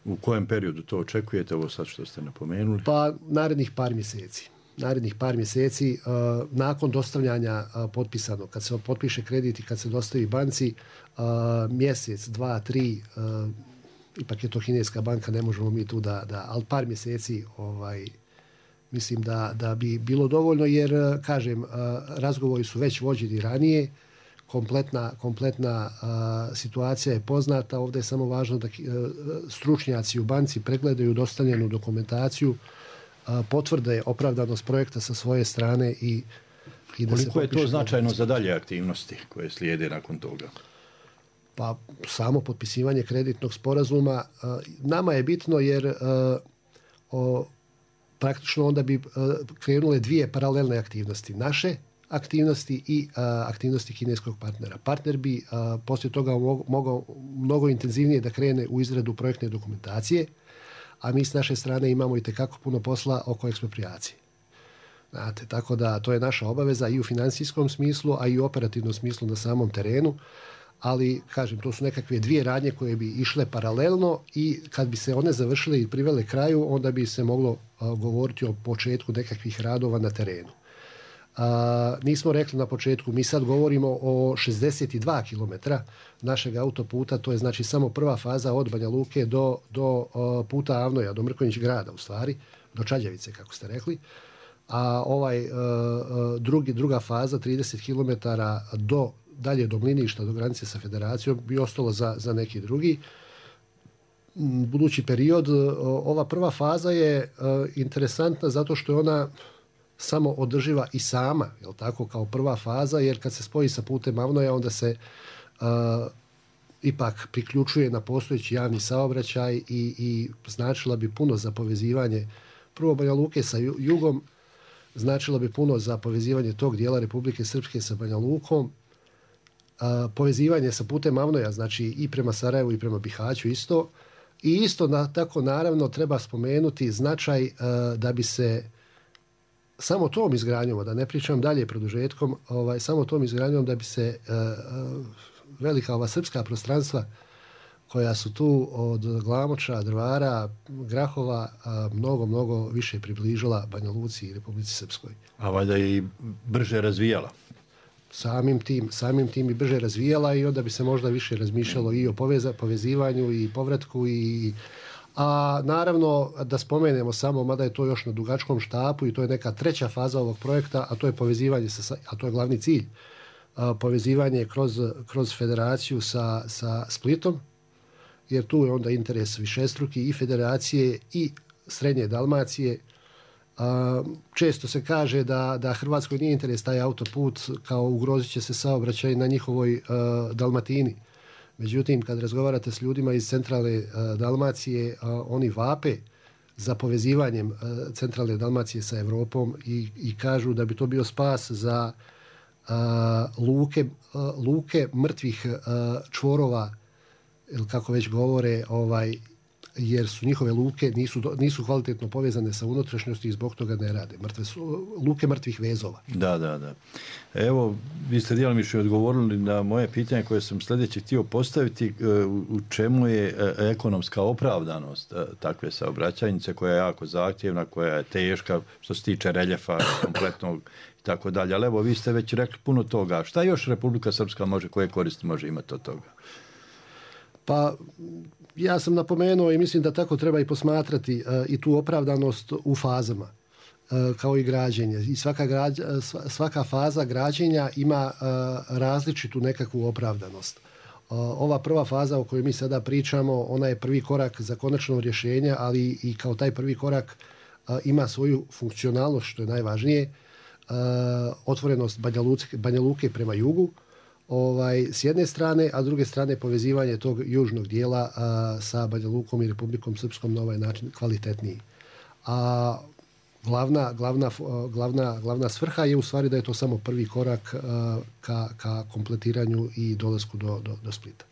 U kojem periodu to očekujete, ovo sad što ste napomenuli? Pa narednih par mjeseci. Narednih par mjeseci uh, nakon dostavljanja uh, potpisanog, kad se potpiše kredit i kad se dostavi banci, uh, mjesec, dva, tri, uh, ipak je to kineska banka, ne možemo mi tu da, da ali par mjeseci ovaj, mislim da, da bi bilo dovoljno, jer, kažem, razgovori su već vođeni ranije, kompletna, kompletna uh, situacija je poznata, ovdje je samo važno da uh, stručnjaci u banci pregledaju dostavljenu dokumentaciju, uh, potvrde opravdanost projekta sa svoje strane i, i da koliko se je to značajno za dalje aktivnosti koje slijede nakon toga? Pa samo potpisivanje kreditnog sporazuma nama je bitno jer o, praktično onda bi krenule dvije paralelne aktivnosti. Naše aktivnosti i a, aktivnosti kineskog partnera. Partner bi a, poslije toga mogao mnogo intenzivnije da krene u izradu projektne dokumentacije, a mi s naše strane imamo itekako puno posla oko eksproprijacije. Znate, tako da to je naša obaveza i u financijskom smislu, a i u operativnom smislu na samom terenu, ali kažem, to su nekakve dvije radnje koje bi išle paralelno i kad bi se one završile i privele kraju, onda bi se moglo a, govoriti o početku nekakvih radova na terenu. A, nismo rekli na početku, mi sad govorimo o šezdeset dva kilometra našeg autoputa, to je znači samo prva faza od Banja Luke do, do a, puta Avnoja, do Mrkonjić grada u stvari, do Čađavice kako ste rekli, a ovaj a, a, drugi, druga faza trideset kilometara do, dalje do Mliništa, do granice sa Federacijom bi ostalo za, za neki drugi budući period. Ova prva faza je a, interesantna zato što je ona samo održiva i sama, jel tako, kao prva faza, jer kad se spoji sa putem Avnoja, onda se uh, ipak priključuje na postojeći javni saobraćaj i, i značila bi puno za povezivanje prvo Banja Luke sa jugom, značilo bi puno za povezivanje tog dijela Republike Srpske sa Banja Lukom, uh, povezivanje sa putem Avnoja, znači i prema Sarajevu i prema Bihaću isto, i isto na, tako naravno treba spomenuti značaj uh, da bi se samo tom izgradnjom, da ne pričam dalje produžetkom, ovaj, samo tom izgradnjom da bi se uh, velika ova srpska prostranstva koja su tu od Glamoča, Drvara, Grahova, uh, mnogo, mnogo više približila Banja Luci i Republici Srpskoj. A valjda i brže razvijala. Samim tim, samim tim i brže razvijala i onda bi se možda više razmišljalo i o poveza, povezivanju i povratku i a naravno da spomenemo samo, mada je to još na dugačkom štapu i to je neka treća faza ovog projekta, a to je povezivanje, sa, a to je glavni cilj, a, povezivanje kroz, kroz federaciju sa, sa Splitom, jer tu je onda interes višestruki i federacije i srednje Dalmacije. A, često se kaže da, da Hrvatskoj nije interes taj autoput, kao ugrozit će se saobraćaj na njihovoj a, Dalmatini. Međutim, kad razgovarate s ljudima iz centralne uh, Dalmacije, uh, oni vape za povezivanjem uh, centralne Dalmacije sa Evropom i, i kažu da bi to bio spas za uh, luke, uh, luke mrtvih uh, čvorova, ili kako već govore, ovaj, jer su njihove luke nisu, nisu kvalitetno povezane sa unutrašnjosti i zbog toga ne rade. Mrtve su luke mrtvih vezova. Da, da, da. Evo, vi ste djelomično odgovorili na moje pitanje koje sam sljedeće htio postaviti, u čemu je ekonomska opravdanost takve saobraćajnice koja je jako zahtjevna, koja je teška što se tiče reljefa kompletnog i tako dalje. Ali evo, vi ste već rekli puno toga. Šta još Republika Srpska može, koje koristi može imati od toga? Pa ja sam napomenuo i mislim da tako treba i posmatrati uh, i tu opravdanost u fazama uh, kao i građenje. I svaka, građ, svaka faza građenja ima uh, različitu nekakvu opravdanost. Uh, ova prva faza o kojoj mi sada pričamo, ona je prvi korak za konačno rješenje, ali i kao taj prvi korak uh, ima svoju funkcionalnost, što je najvažnije, uh, otvorenost Banja Luke, Banja Luke prema jugu, Ovaj, s jedne strane, a s druge strane povezivanje tog južnog dijela a, sa Banja Lukom i Republikom Srpskom na ovaj način kvalitetniji. A glavna, glavna, glavna, glavna svrha je u stvari da je to samo prvi korak a, ka, ka kompletiranju i dolasku do, do, do Splita.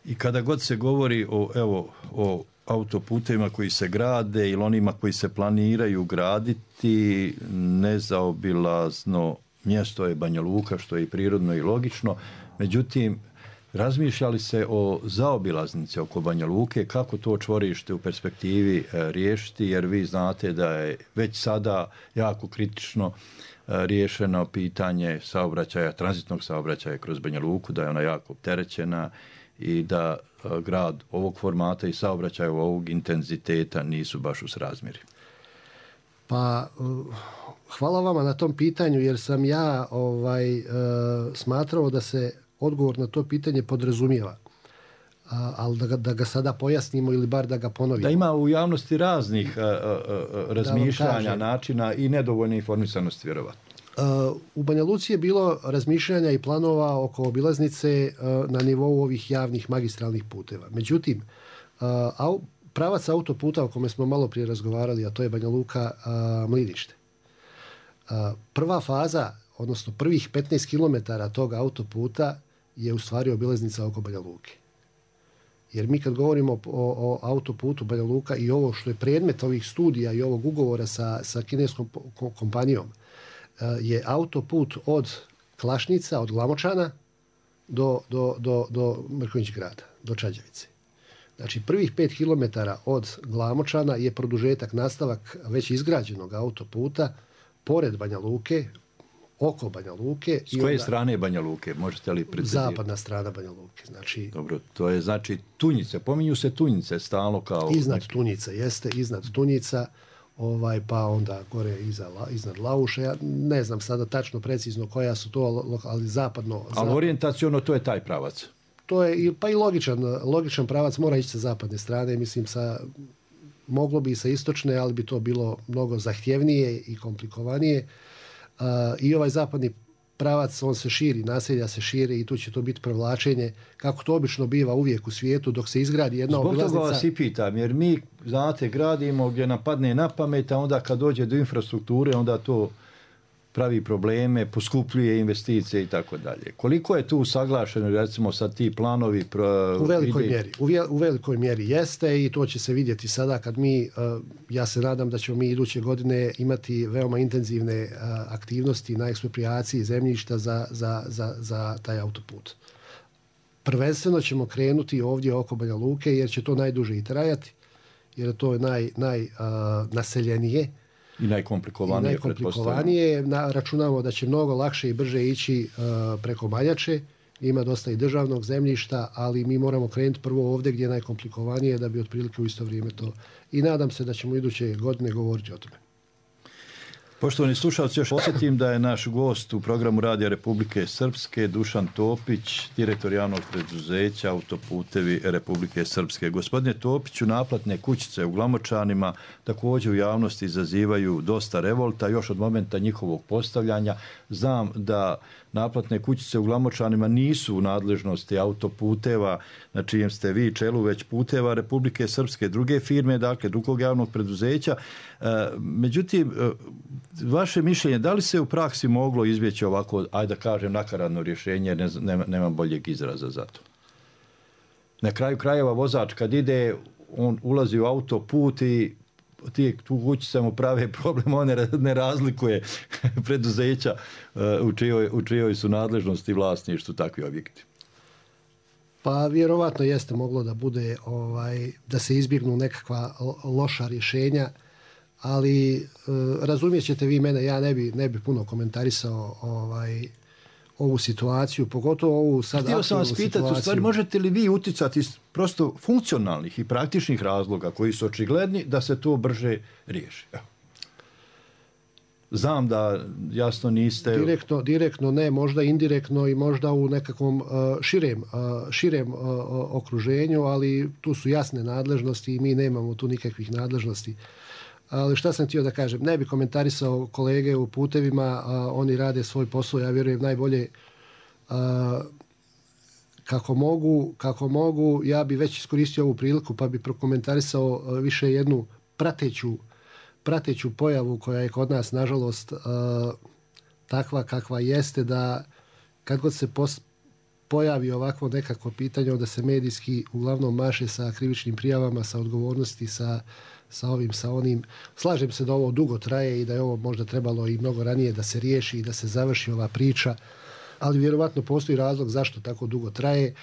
I kada god se govori o, evo, o autoputevima koji se grade ili onima koji se planiraju graditi, nezaobilazno mjesto je Banja Luka, što je i prirodno i logično. Međutim, razmišljali se o zaobilaznici oko Banja Luke, kako to čvorište u perspektivi e, riješiti, jer vi znate da je već sada jako kritično e, riješeno pitanje saobraćaja, tranzitnog saobraćaja kroz Banja Luku, da je ona jako opterećena i da e, grad ovog formata i saobraćaja ovog intenziteta nisu baš u srazmjeri. Pa hvala vama na tom pitanju, jer sam ja ovaj, e, smatrao da se odgovor na to pitanje podrazumijeva. A, ali da ga, da ga sada pojasnimo ili bar da ga ponovimo. Da ima u javnosti raznih a, a, a, razmišljanja, načina i nedovoljne informisanosti, vjerovatno. U Banja Luci je bilo razmišljanja i planova oko obilaznice na nivou ovih javnih magistralnih puteva. Međutim, pravac autoputa o kome smo malo prije razgovarali, a to je Banja Luka Mlinište. Prva faza, odnosno prvih petnaest kilometara tog autoputa je u stvari obilaznica oko Banja Luke. Jer mi kad govorimo o, o autoputu Banja Luka i ovo što je predmet ovih studija i ovog ugovora sa, sa kineskom kompanijom, je autoput od Klašnica, od Glamočana do, do, do, do Mrkonjić grada, do Čađavice. Znači prvih pet kilometara od Glamočana je produžetak, nastavak već izgrađenog autoputa pored Banja Luke, oko Banja Luke. S koje onda, strane Banja Luke? Možete li precizirati? Zapadna strana Banja Luke. Znači, dobro, to je znači Tunjice. Pominju se Tunjice stalno kao... Iznad neki... Tunjica, jeste, iznad Tunjica, ovaj, pa onda gore iza, iznad Lauša. Ja ne znam sada tačno, precizno koja su to, ali zapadno... Ali zapad... orijentaciono to je taj pravac? To je, pa i logičan, logičan pravac mora ići sa zapadne strane, mislim sa... Moglo bi i sa istočne, ali bi to bilo mnogo zahtjevnije i komplikovanije. Uh, I ovaj zapadni pravac, on se širi, naselja se širi i tu će to biti prevlačenje, kako to obično biva uvijek u svijetu, dok se izgradi jedna Zbog obilaznica... Zbog toga vas i pitam, jer mi, znate, gradimo gdje nam padne na pamet, a onda kad dođe do infrastrukture, onda to pravi probleme, poskupljuje investicije i tako dalje. Koliko je tu saglašeno, recimo, sad ti planovi... Pro, u velikoj ide... mjeri. U, vje, u velikoj mjeri jeste i to će se vidjeti sada kad mi, uh, ja se nadam da ćemo mi iduće godine imati veoma intenzivne uh, aktivnosti na eksproprijaciji zemljišta za, za, za, za taj autoput. Prvenstveno ćemo krenuti ovdje oko Banja Luke jer će to najduže i trajati, jer to je naj, naj, uh, naseljenije. I najkomplikovanije, I najkomplikovanije. Na, računamo da će mnogo lakše i brže ići uh, preko Maljače. Ima dosta i državnog zemljišta, ali mi moramo krenuti prvo ovdje gdje je najkomplikovanije da bi otprilike u isto vrijeme to. I nadam se da ćemo iduće godine govoriti o tome. Poštovani slušalci, još posjetim da je naš gost u programu Radija Republike Srpske Dušan Topić, direktor javnog preduzeća Autoputevi Republike Srpske. Gospodine Topiću, naplatne kućice u Glamočanima također u javnosti izazivaju dosta revolta još od momenta njihovog postavljanja. Znam da naplatne kućice u Glamočanima nisu u nadležnosti Autoputeva, na čijem ste vi čelu, već Puteva Republike Srpske, druge firme, dakle drugog javnog preduzeća. E, međutim, vaše mišljenje, da li se u praksi moglo izbjeći ovako, ajde da kažem, nakaradno rješenje, ne, nema, nema boljeg izraza za to? Na kraju krajeva vozač kad ide, on ulazi u autoput i ti tu kućice mu prave problem, on ne razlikuje preduzeća u čijoj, u čijoj su nadležnosti vlasništvu takvi objekti. Pa vjerovatno jeste moglo da bude ovaj, da se izbjegnu nekakva loša rješenja, ali e, razumijet ćete vi mene, ja ne bi, ne bi puno komentarisao ovaj, ovu situaciju, pogotovo ovu sad aktualnu situaciju. Htio sam vas pitati, u stvari, možete li vi uticati iz prosto funkcionalnih i praktičnih razloga koji su očigledni da se to brže riješi? Evo. Znam da jasno niste... Direktno, direktno ne, možda indirektno i možda u nekakvom uh, širem, uh, širem uh, okruženju, ali tu su jasne nadležnosti i mi nemamo tu nikakvih nadležnosti. Ali šta sam htio da kažem, ne bi komentarisao kolege u putevima, a oni rade svoj posao, ja vjerujem najbolje a, kako mogu, kako mogu, ja bi već iskoristio ovu priliku pa bi prokomentarisao više jednu prateću, prateću pojavu koja je kod nas, nažalost, a, takva kakva jeste, da kad god se pos, pojavi ovakvo nekako pitanje, onda se medijski uglavnom maše sa krivičnim prijavama, sa odgovornosti, sa sa ovim, sa onim. Slažem se da ovo dugo traje i da je ovo možda trebalo i mnogo ranije da se riješi i da se završi ova priča, ali vjerovatno postoji razlog zašto tako dugo traje.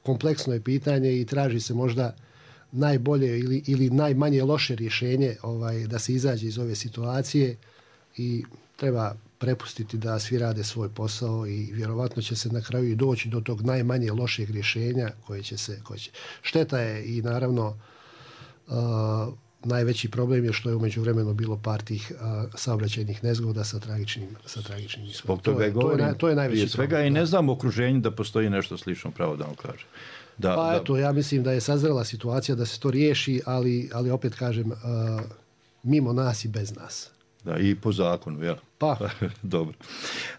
Kompleksno je pitanje i traži se možda najbolje ili, ili najmanje loše rješenje ovaj, da se izađe iz ove situacije i treba prepustiti da svi rade svoj posao i vjerovatno će se na kraju i doći do tog najmanje lošeg rješenja koje će se... Koje će... Šteta je i naravno uh, najveći problem je što je umeđu vremenu bilo par tih uh, saobraćajnih nezgoda sa tragičnim, sa tragičnim ishodom. Zbog toga je govorim, to je, to je najveći prije svega problem, i ne znam u okruženju da postoji nešto slično, pravo da vam kažem. Da, pa da... eto, ja mislim da je sazrela situacija da se to riješi, ali, ali opet kažem, uh, mimo nas i bez nas. Da, i po zakonu, jel? Pa. Dobro.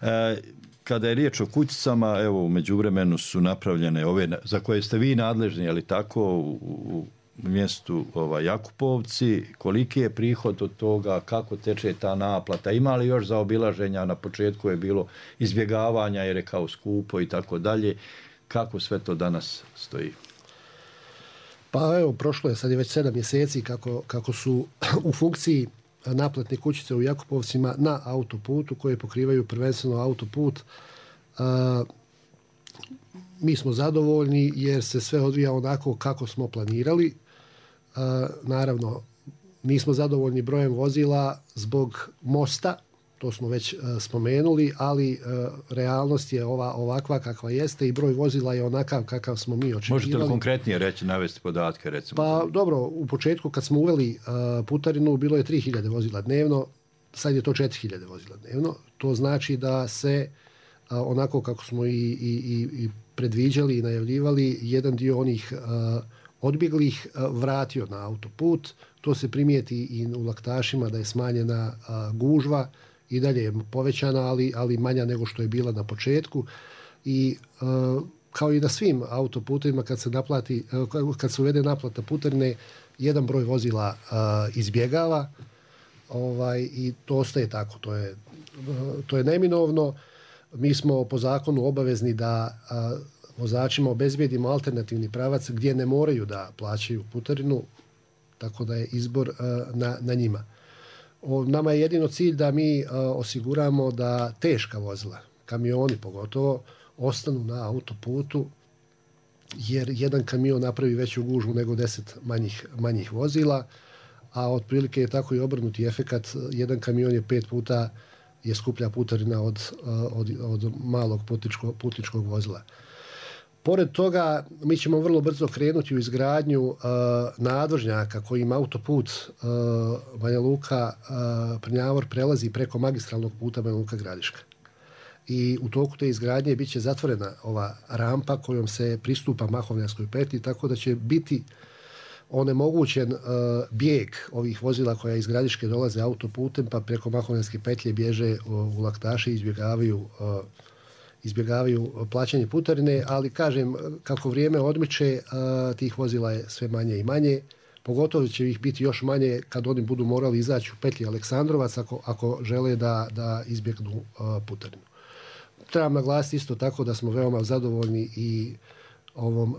E, kada je riječ o kućicama, evo, u međuvremenu su napravljene ove, za koje ste vi nadležni, je li tako, u, u mjestu ovaj, Jakupovci, koliki je prihod od toga, kako teče ta naplata, ima li još zaobilaženja, na početku je bilo izbjegavanja jer je kao skupo i tako dalje, kako sve to danas stoji? Pa evo, prošlo je sad je već sedam mjeseci kako, kako su u funkciji naplatne kućice u Jakupovcima na autoputu koje pokrivaju prvenstveno autoput. A, mi smo zadovoljni jer se sve odvija onako kako smo planirali. A, naravno, nismo zadovoljni brojem vozila zbog mosta, to smo već a, spomenuli, ali a, realnost je ova ovakva kakva jeste i broj vozila je onakav kakav smo mi očekivali. Možete li konkretnije reći, navesti podatke recimo? Pa dobro, u početku kad smo uveli a, putarinu bilo je tri hiljade vozila dnevno, sad je to četiri hiljade vozila dnevno. To znači da se a, onako kako smo i, i, i predviđali i najavljivali, jedan dio onih a, odbjeglih a, vratio na autoput. To se primijeti i u Laktašima da je smanjena a, gužva, i dalje je povećana, ali, ali manja nego što je bila na početku. I uh, kao i na svim autoputovima kad se naplati, uh, kad se uvede naplata putarine, jedan broj vozila uh, izbjegava ovaj, i to ostaje tako. To je, uh, to je neminovno. Mi smo po zakonu obavezni da uh, vozačima obezbijedimo alternativni pravac gdje ne moraju da plaćaju putarinu, tako da je izbor uh, na, na njima. O, nama je jedino cilj da mi a, osiguramo da teška vozila, kamioni pogotovo, ostanu na autoputu, jer jedan kamion napravi veću gužvu nego deset manjih, manjih vozila, a otprilike je tako i obrnuti efekat. Jedan kamion je pet puta je skuplja putarina od, od, od malog putničko, putničkog vozila. Pored toga, mi ćemo vrlo brzo krenuti u izgradnju uh, nadvožnjaka kojim autoput uh, Banja Luka uh, Prnjavor prelazi preko magistralnog puta Banja Luka Gradiška. I u toku te izgradnje bit će zatvorena ova rampa kojom se pristupa Mahovnjanskoj petlji, tako da će biti onemogućen uh, bijeg ovih vozila koja iz Gradiške dolaze autoputem, pa preko Mahovnjanske petlje bježe uh, u Laktaše i izbjegavaju uh, izbjegavaju plaćanje putarine, ali kažem, kako vrijeme odmiče, tih vozila je sve manje i manje. Pogotovo će ih biti još manje kad oni budu morali izaći u petlji Aleksandrovac ako, ako žele da, da izbjegnu putarinu. Trebam naglasiti isto tako da smo veoma zadovoljni i ovom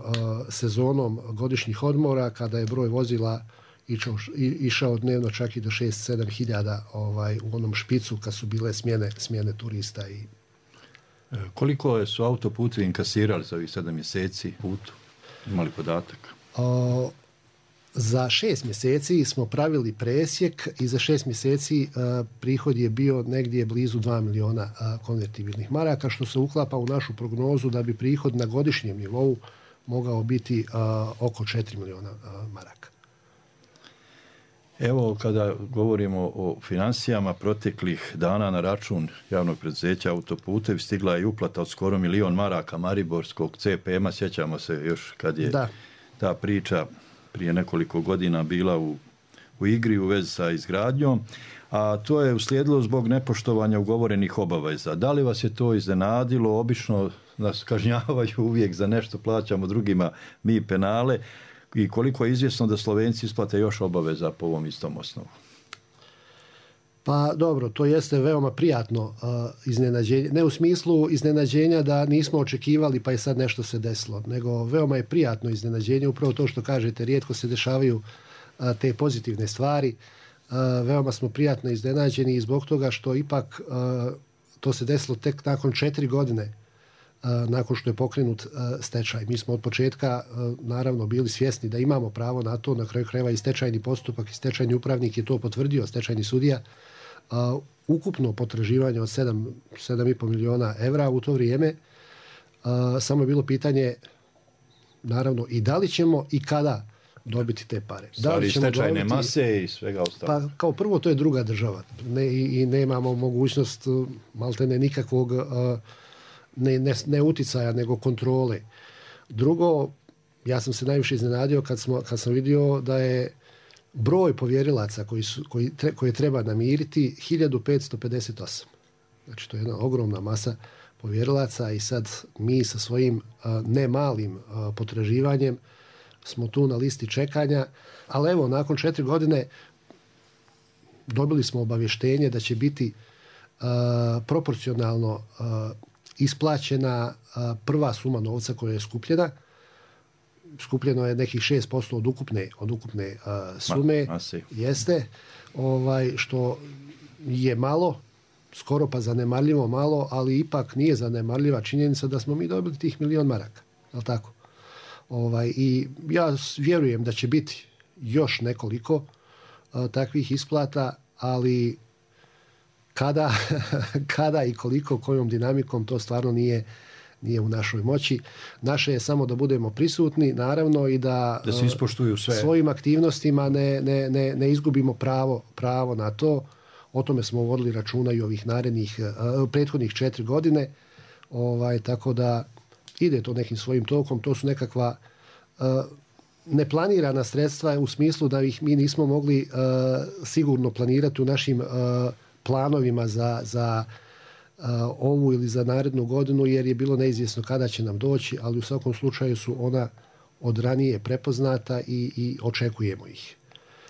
sezonom godišnjih odmora kada je broj vozila išao, išao dnevno čak i do šest sedam hiljada ovaj, u onom špicu kad su bile smjene, smjene turista i koliko su autoputevi inkasirali za ovih sedam mjeseci putu? Imali podatak? O, za šest mjeseci smo pravili presjek i za šest mjeseci a, prihod je bio negdje blizu dva miliona a, konvertibilnih maraka, što se uklapa u našu prognozu da bi prihod na godišnjem nivou mogao biti a, oko četiri miliona a, maraka. Evo, kada govorimo o financijama, proteklih dana na račun javnog preduzeća Autoputevi stigla je uplata od skoro milion maraka Mariborskog C P M-a. Sjećamo se još kad je da. ta priča prije nekoliko godina bila u, u igri u vezi sa izgradnjom, a to je uslijedilo zbog nepoštovanja ugovorenih obaveza. Da li vas je to iznenadilo? Obično nas kažnjavaju uvijek za nešto, plaćamo drugima mi penale. I koliko je izvjesno da Slovenci isplate još obaveza po ovom istom osnovu? Pa dobro, to jeste veoma prijatno uh, iznenađenje. Ne u smislu iznenađenja da nismo očekivali pa je sad nešto se desilo, nego veoma je prijatno iznenađenje. Upravo to što kažete, rijetko se dešavaju uh, te pozitivne stvari. Uh, veoma smo prijatno iznenađeni i zbog toga što ipak uh, to se desilo tek nakon četiri godine nakon što je pokrenut stečaj. Mi smo od početka naravno bili svjesni da imamo pravo na to, na kraju krajeva i stečajni postupak i stečajni upravnik je to potvrdio, stečajni sudija. Ukupno potraživanje od sedam, sedam i pol miliona evra u to vrijeme, samo je bilo pitanje naravno i da li ćemo i kada dobiti te pare. Da li ćemo stečajne dobiti, mase i svega ostalo. Pa kao prvo to je druga država ne, i, i nemamo mogućnost maltene nikakvog Ne, ne, ne uticaja, nego kontrole. Drugo, ja sam se najviše iznenadio kad, smo, kad sam vidio da je broj povjerilaca koji su, koji tre, koje treba namiriti hiljadu petsto pedeset osam. Znači to je jedna ogromna masa povjerilaca i sad mi sa svojim uh, ne malim uh, potraživanjem smo tu na listi čekanja, ali evo nakon četiri godine dobili smo obavještenje da će biti uh, proporcionalno uh, isplaćena uh, prva suma novca koja je skupljena. Skupljeno je nekih šest posto od ukupne, od ukupne uh, sume. Ma, jeste, ovaj, što je malo, skoro pa zanemarljivo malo, ali ipak nije zanemarljiva činjenica da smo mi dobili tih milion maraka. Je li tako? Ovaj, i ja vjerujem da će biti još nekoliko uh, takvih isplata, ali kada, kada i koliko, kojom dinamikom, to stvarno nije, nije u našoj moći. Naše je samo da budemo prisutni, naravno, i da, da se ispoštuju sve. Svojim aktivnostima ne, ne, ne, ne izgubimo pravo, pravo na to. O tome smo vodili računa i ovih narednih, uh, prethodnih četiri godine. Ovaj, tako da ide to nekim svojim tokom. To su nekakva uh, neplanirana sredstva u smislu da ih mi nismo mogli uh, sigurno planirati u našim uh, planovima za, za uh, ovu ili za narednu godinu, jer je bilo neizvjesno kada će nam doći, ali u svakom slučaju su ona od ranije prepoznata i, i očekujemo ih.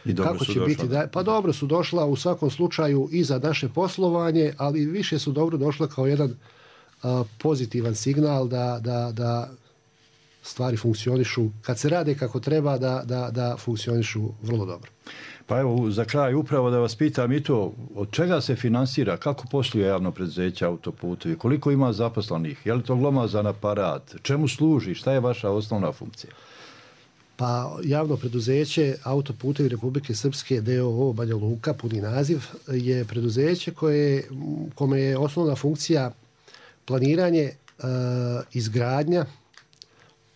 I dobro Kako su će došla. biti da, pa dobro su došla u svakom slučaju i za naše poslovanje, ali više su dobro došla kao jedan uh, pozitivan signal da, da, da stvari funkcionišu, kad se rade kako treba, da, da, da funkcionišu vrlo dobro. Pa evo, za kraj upravo da vas pitam i to, od čega se finansira, kako posluje javno preduzeće Autoputevi, koliko ima zaposlenih, je li to glomazan aparat, čemu služi, šta je vaša osnovna funkcija? Pa javno preduzeće Autoputevi Republike Srpske d o o Banja Luka, puni naziv, je preduzeće koje, kome je osnovna funkcija planiranje, e, izgradnja,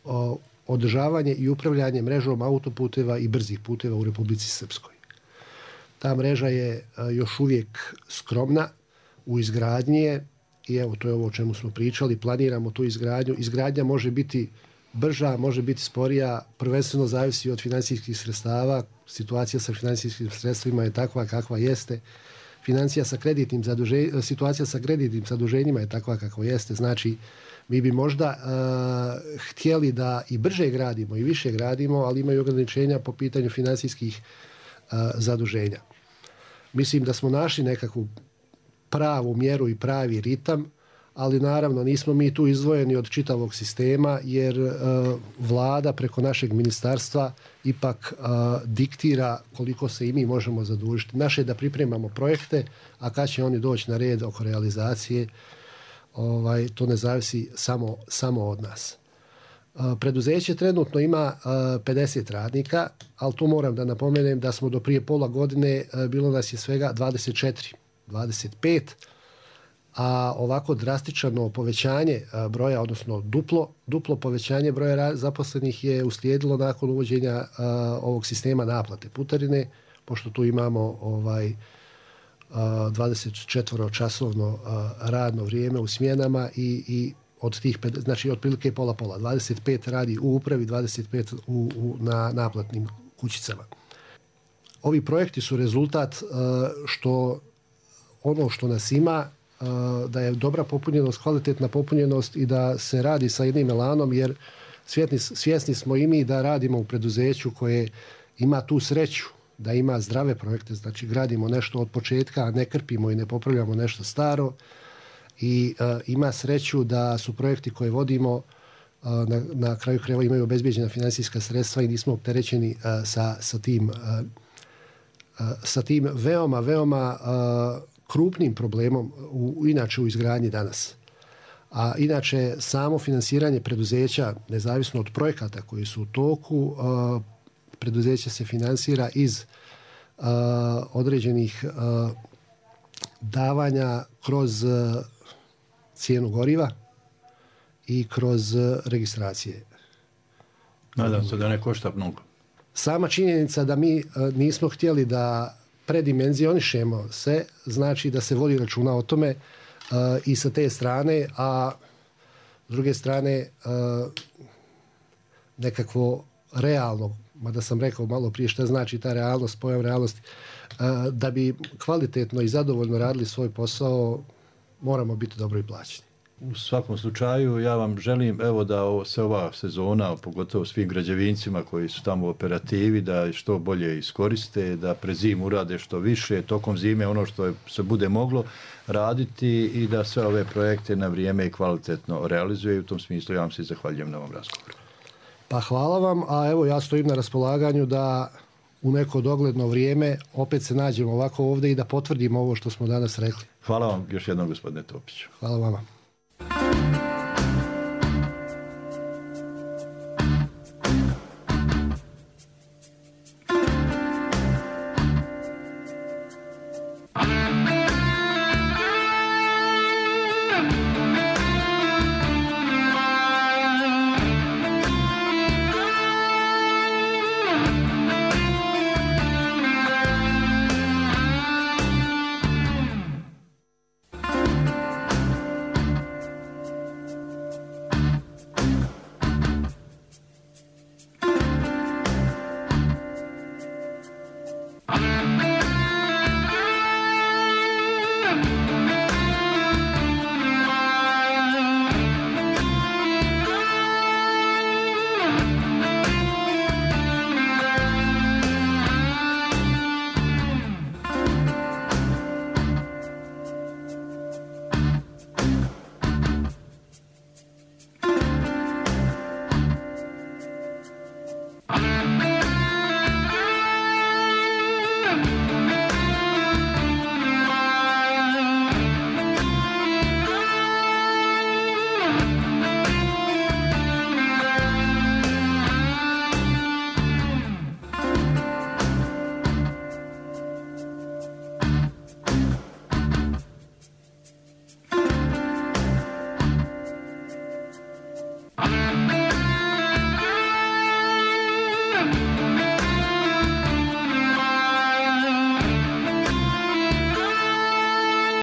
o, održavanje i upravljanje mrežom autoputeva i brzih puteva u Republici Srpskoj. Ta mreža je a, još uvijek skromna u izgradnji je, i evo to je ovo o čemu smo pričali, planiramo tu izgradnju. Izgradnja može biti brža, može biti sporija, prvenstveno zavisi od financijskih sredstava. Situacija sa financijskim sredstvima je takva kakva jeste. Financija sa kreditnim zaduženjima, situacija sa kreditnim zaduženjima je takva kakva jeste. Znači, mi bi možda uh, htjeli da i brže gradimo i više gradimo, ali imaju ograničenja po pitanju financijskih uh, zaduženja. Mislim da smo našli nekakvu pravu mjeru i pravi ritam, ali naravno nismo mi tu izdvojeni od čitavog sistema, jer uh, vlada preko našeg ministarstva ipak uh, diktira koliko se i mi možemo zadužiti. Naše je da pripremamo projekte, a kad će oni doći na red oko realizacije, ovaj, to ne zavisi samo, samo od nas. Uh, preduzeće trenutno ima uh, pedeset radnika, ali tu moram da napomenem da smo do prije pola godine uh, bilo nas je svega dvadeset četiri, dvadeset pet, a ovako drastično povećanje broja, odnosno duplo, duplo povećanje broja zaposlenih je uslijedilo nakon uvođenja uh, ovog sistema naplate putarine, pošto tu imamo ovaj, uh, dvadeset četiri časovno uh, radno vrijeme u smjenama i, i od tih, znači otprilike pola pola, dvadeset pet radi u upravi, dvadeset pet u, u, na naplatnim kućicama. Ovi projekti su rezultat uh, što ono što nas ima, da je dobra popunjenost, kvalitetna popunjenost i da se radi sa jednim elanom, jer svjesni, svjesni smo i mi da radimo u preduzeću koje ima tu sreću, da ima zdrave projekte, znači gradimo nešto od početka, a ne krpimo i ne popravljamo nešto staro, i uh, ima sreću da su projekti koje vodimo uh, na, na kraju krajeva imaju obezbeđena financijska sredstva i nismo opterećeni uh, sa, sa tim uh, uh, sa tim veoma, veoma uh, krupnim problemom u, inače u izgradnji danas. A inače samo finansiranje preduzeća, nezavisno od projekata koji su u toku, uh, preduzeće se finansira iz uh, određenih uh, davanja kroz uh, cijenu goriva i kroz uh, registracije. Nadam se da ne košta mnogo. Sama činjenica da mi uh, nismo htjeli da predimenzionišemo se, znači da se vodi računa o tome uh, i sa te strane, a s druge strane uh, nekakvo realno mada sam rekao malo prije šta znači ta realnost, pojam realnosti, da bi kvalitetno i zadovoljno radili svoj posao, moramo biti dobro i plaćeni. U svakom slučaju ja vam želim evo da se ova sezona, pogotovo svim građevincima koji su tamo u operativi, da što bolje iskoriste, da pre zimu urade što više, tokom zime ono što se bude moglo raditi i da sve ove projekte na vrijeme i kvalitetno realizuje i u tom smislu ja vam se zahvaljujem na ovom razgovoru. Pa hvala vam, a evo ja stojim na raspolaganju da u neko dogledno vrijeme opet se nađemo ovako ovdje i da potvrdimo ovo što smo danas rekli. Hvala vam još jednom, gospodine Topiću. Hvala vama.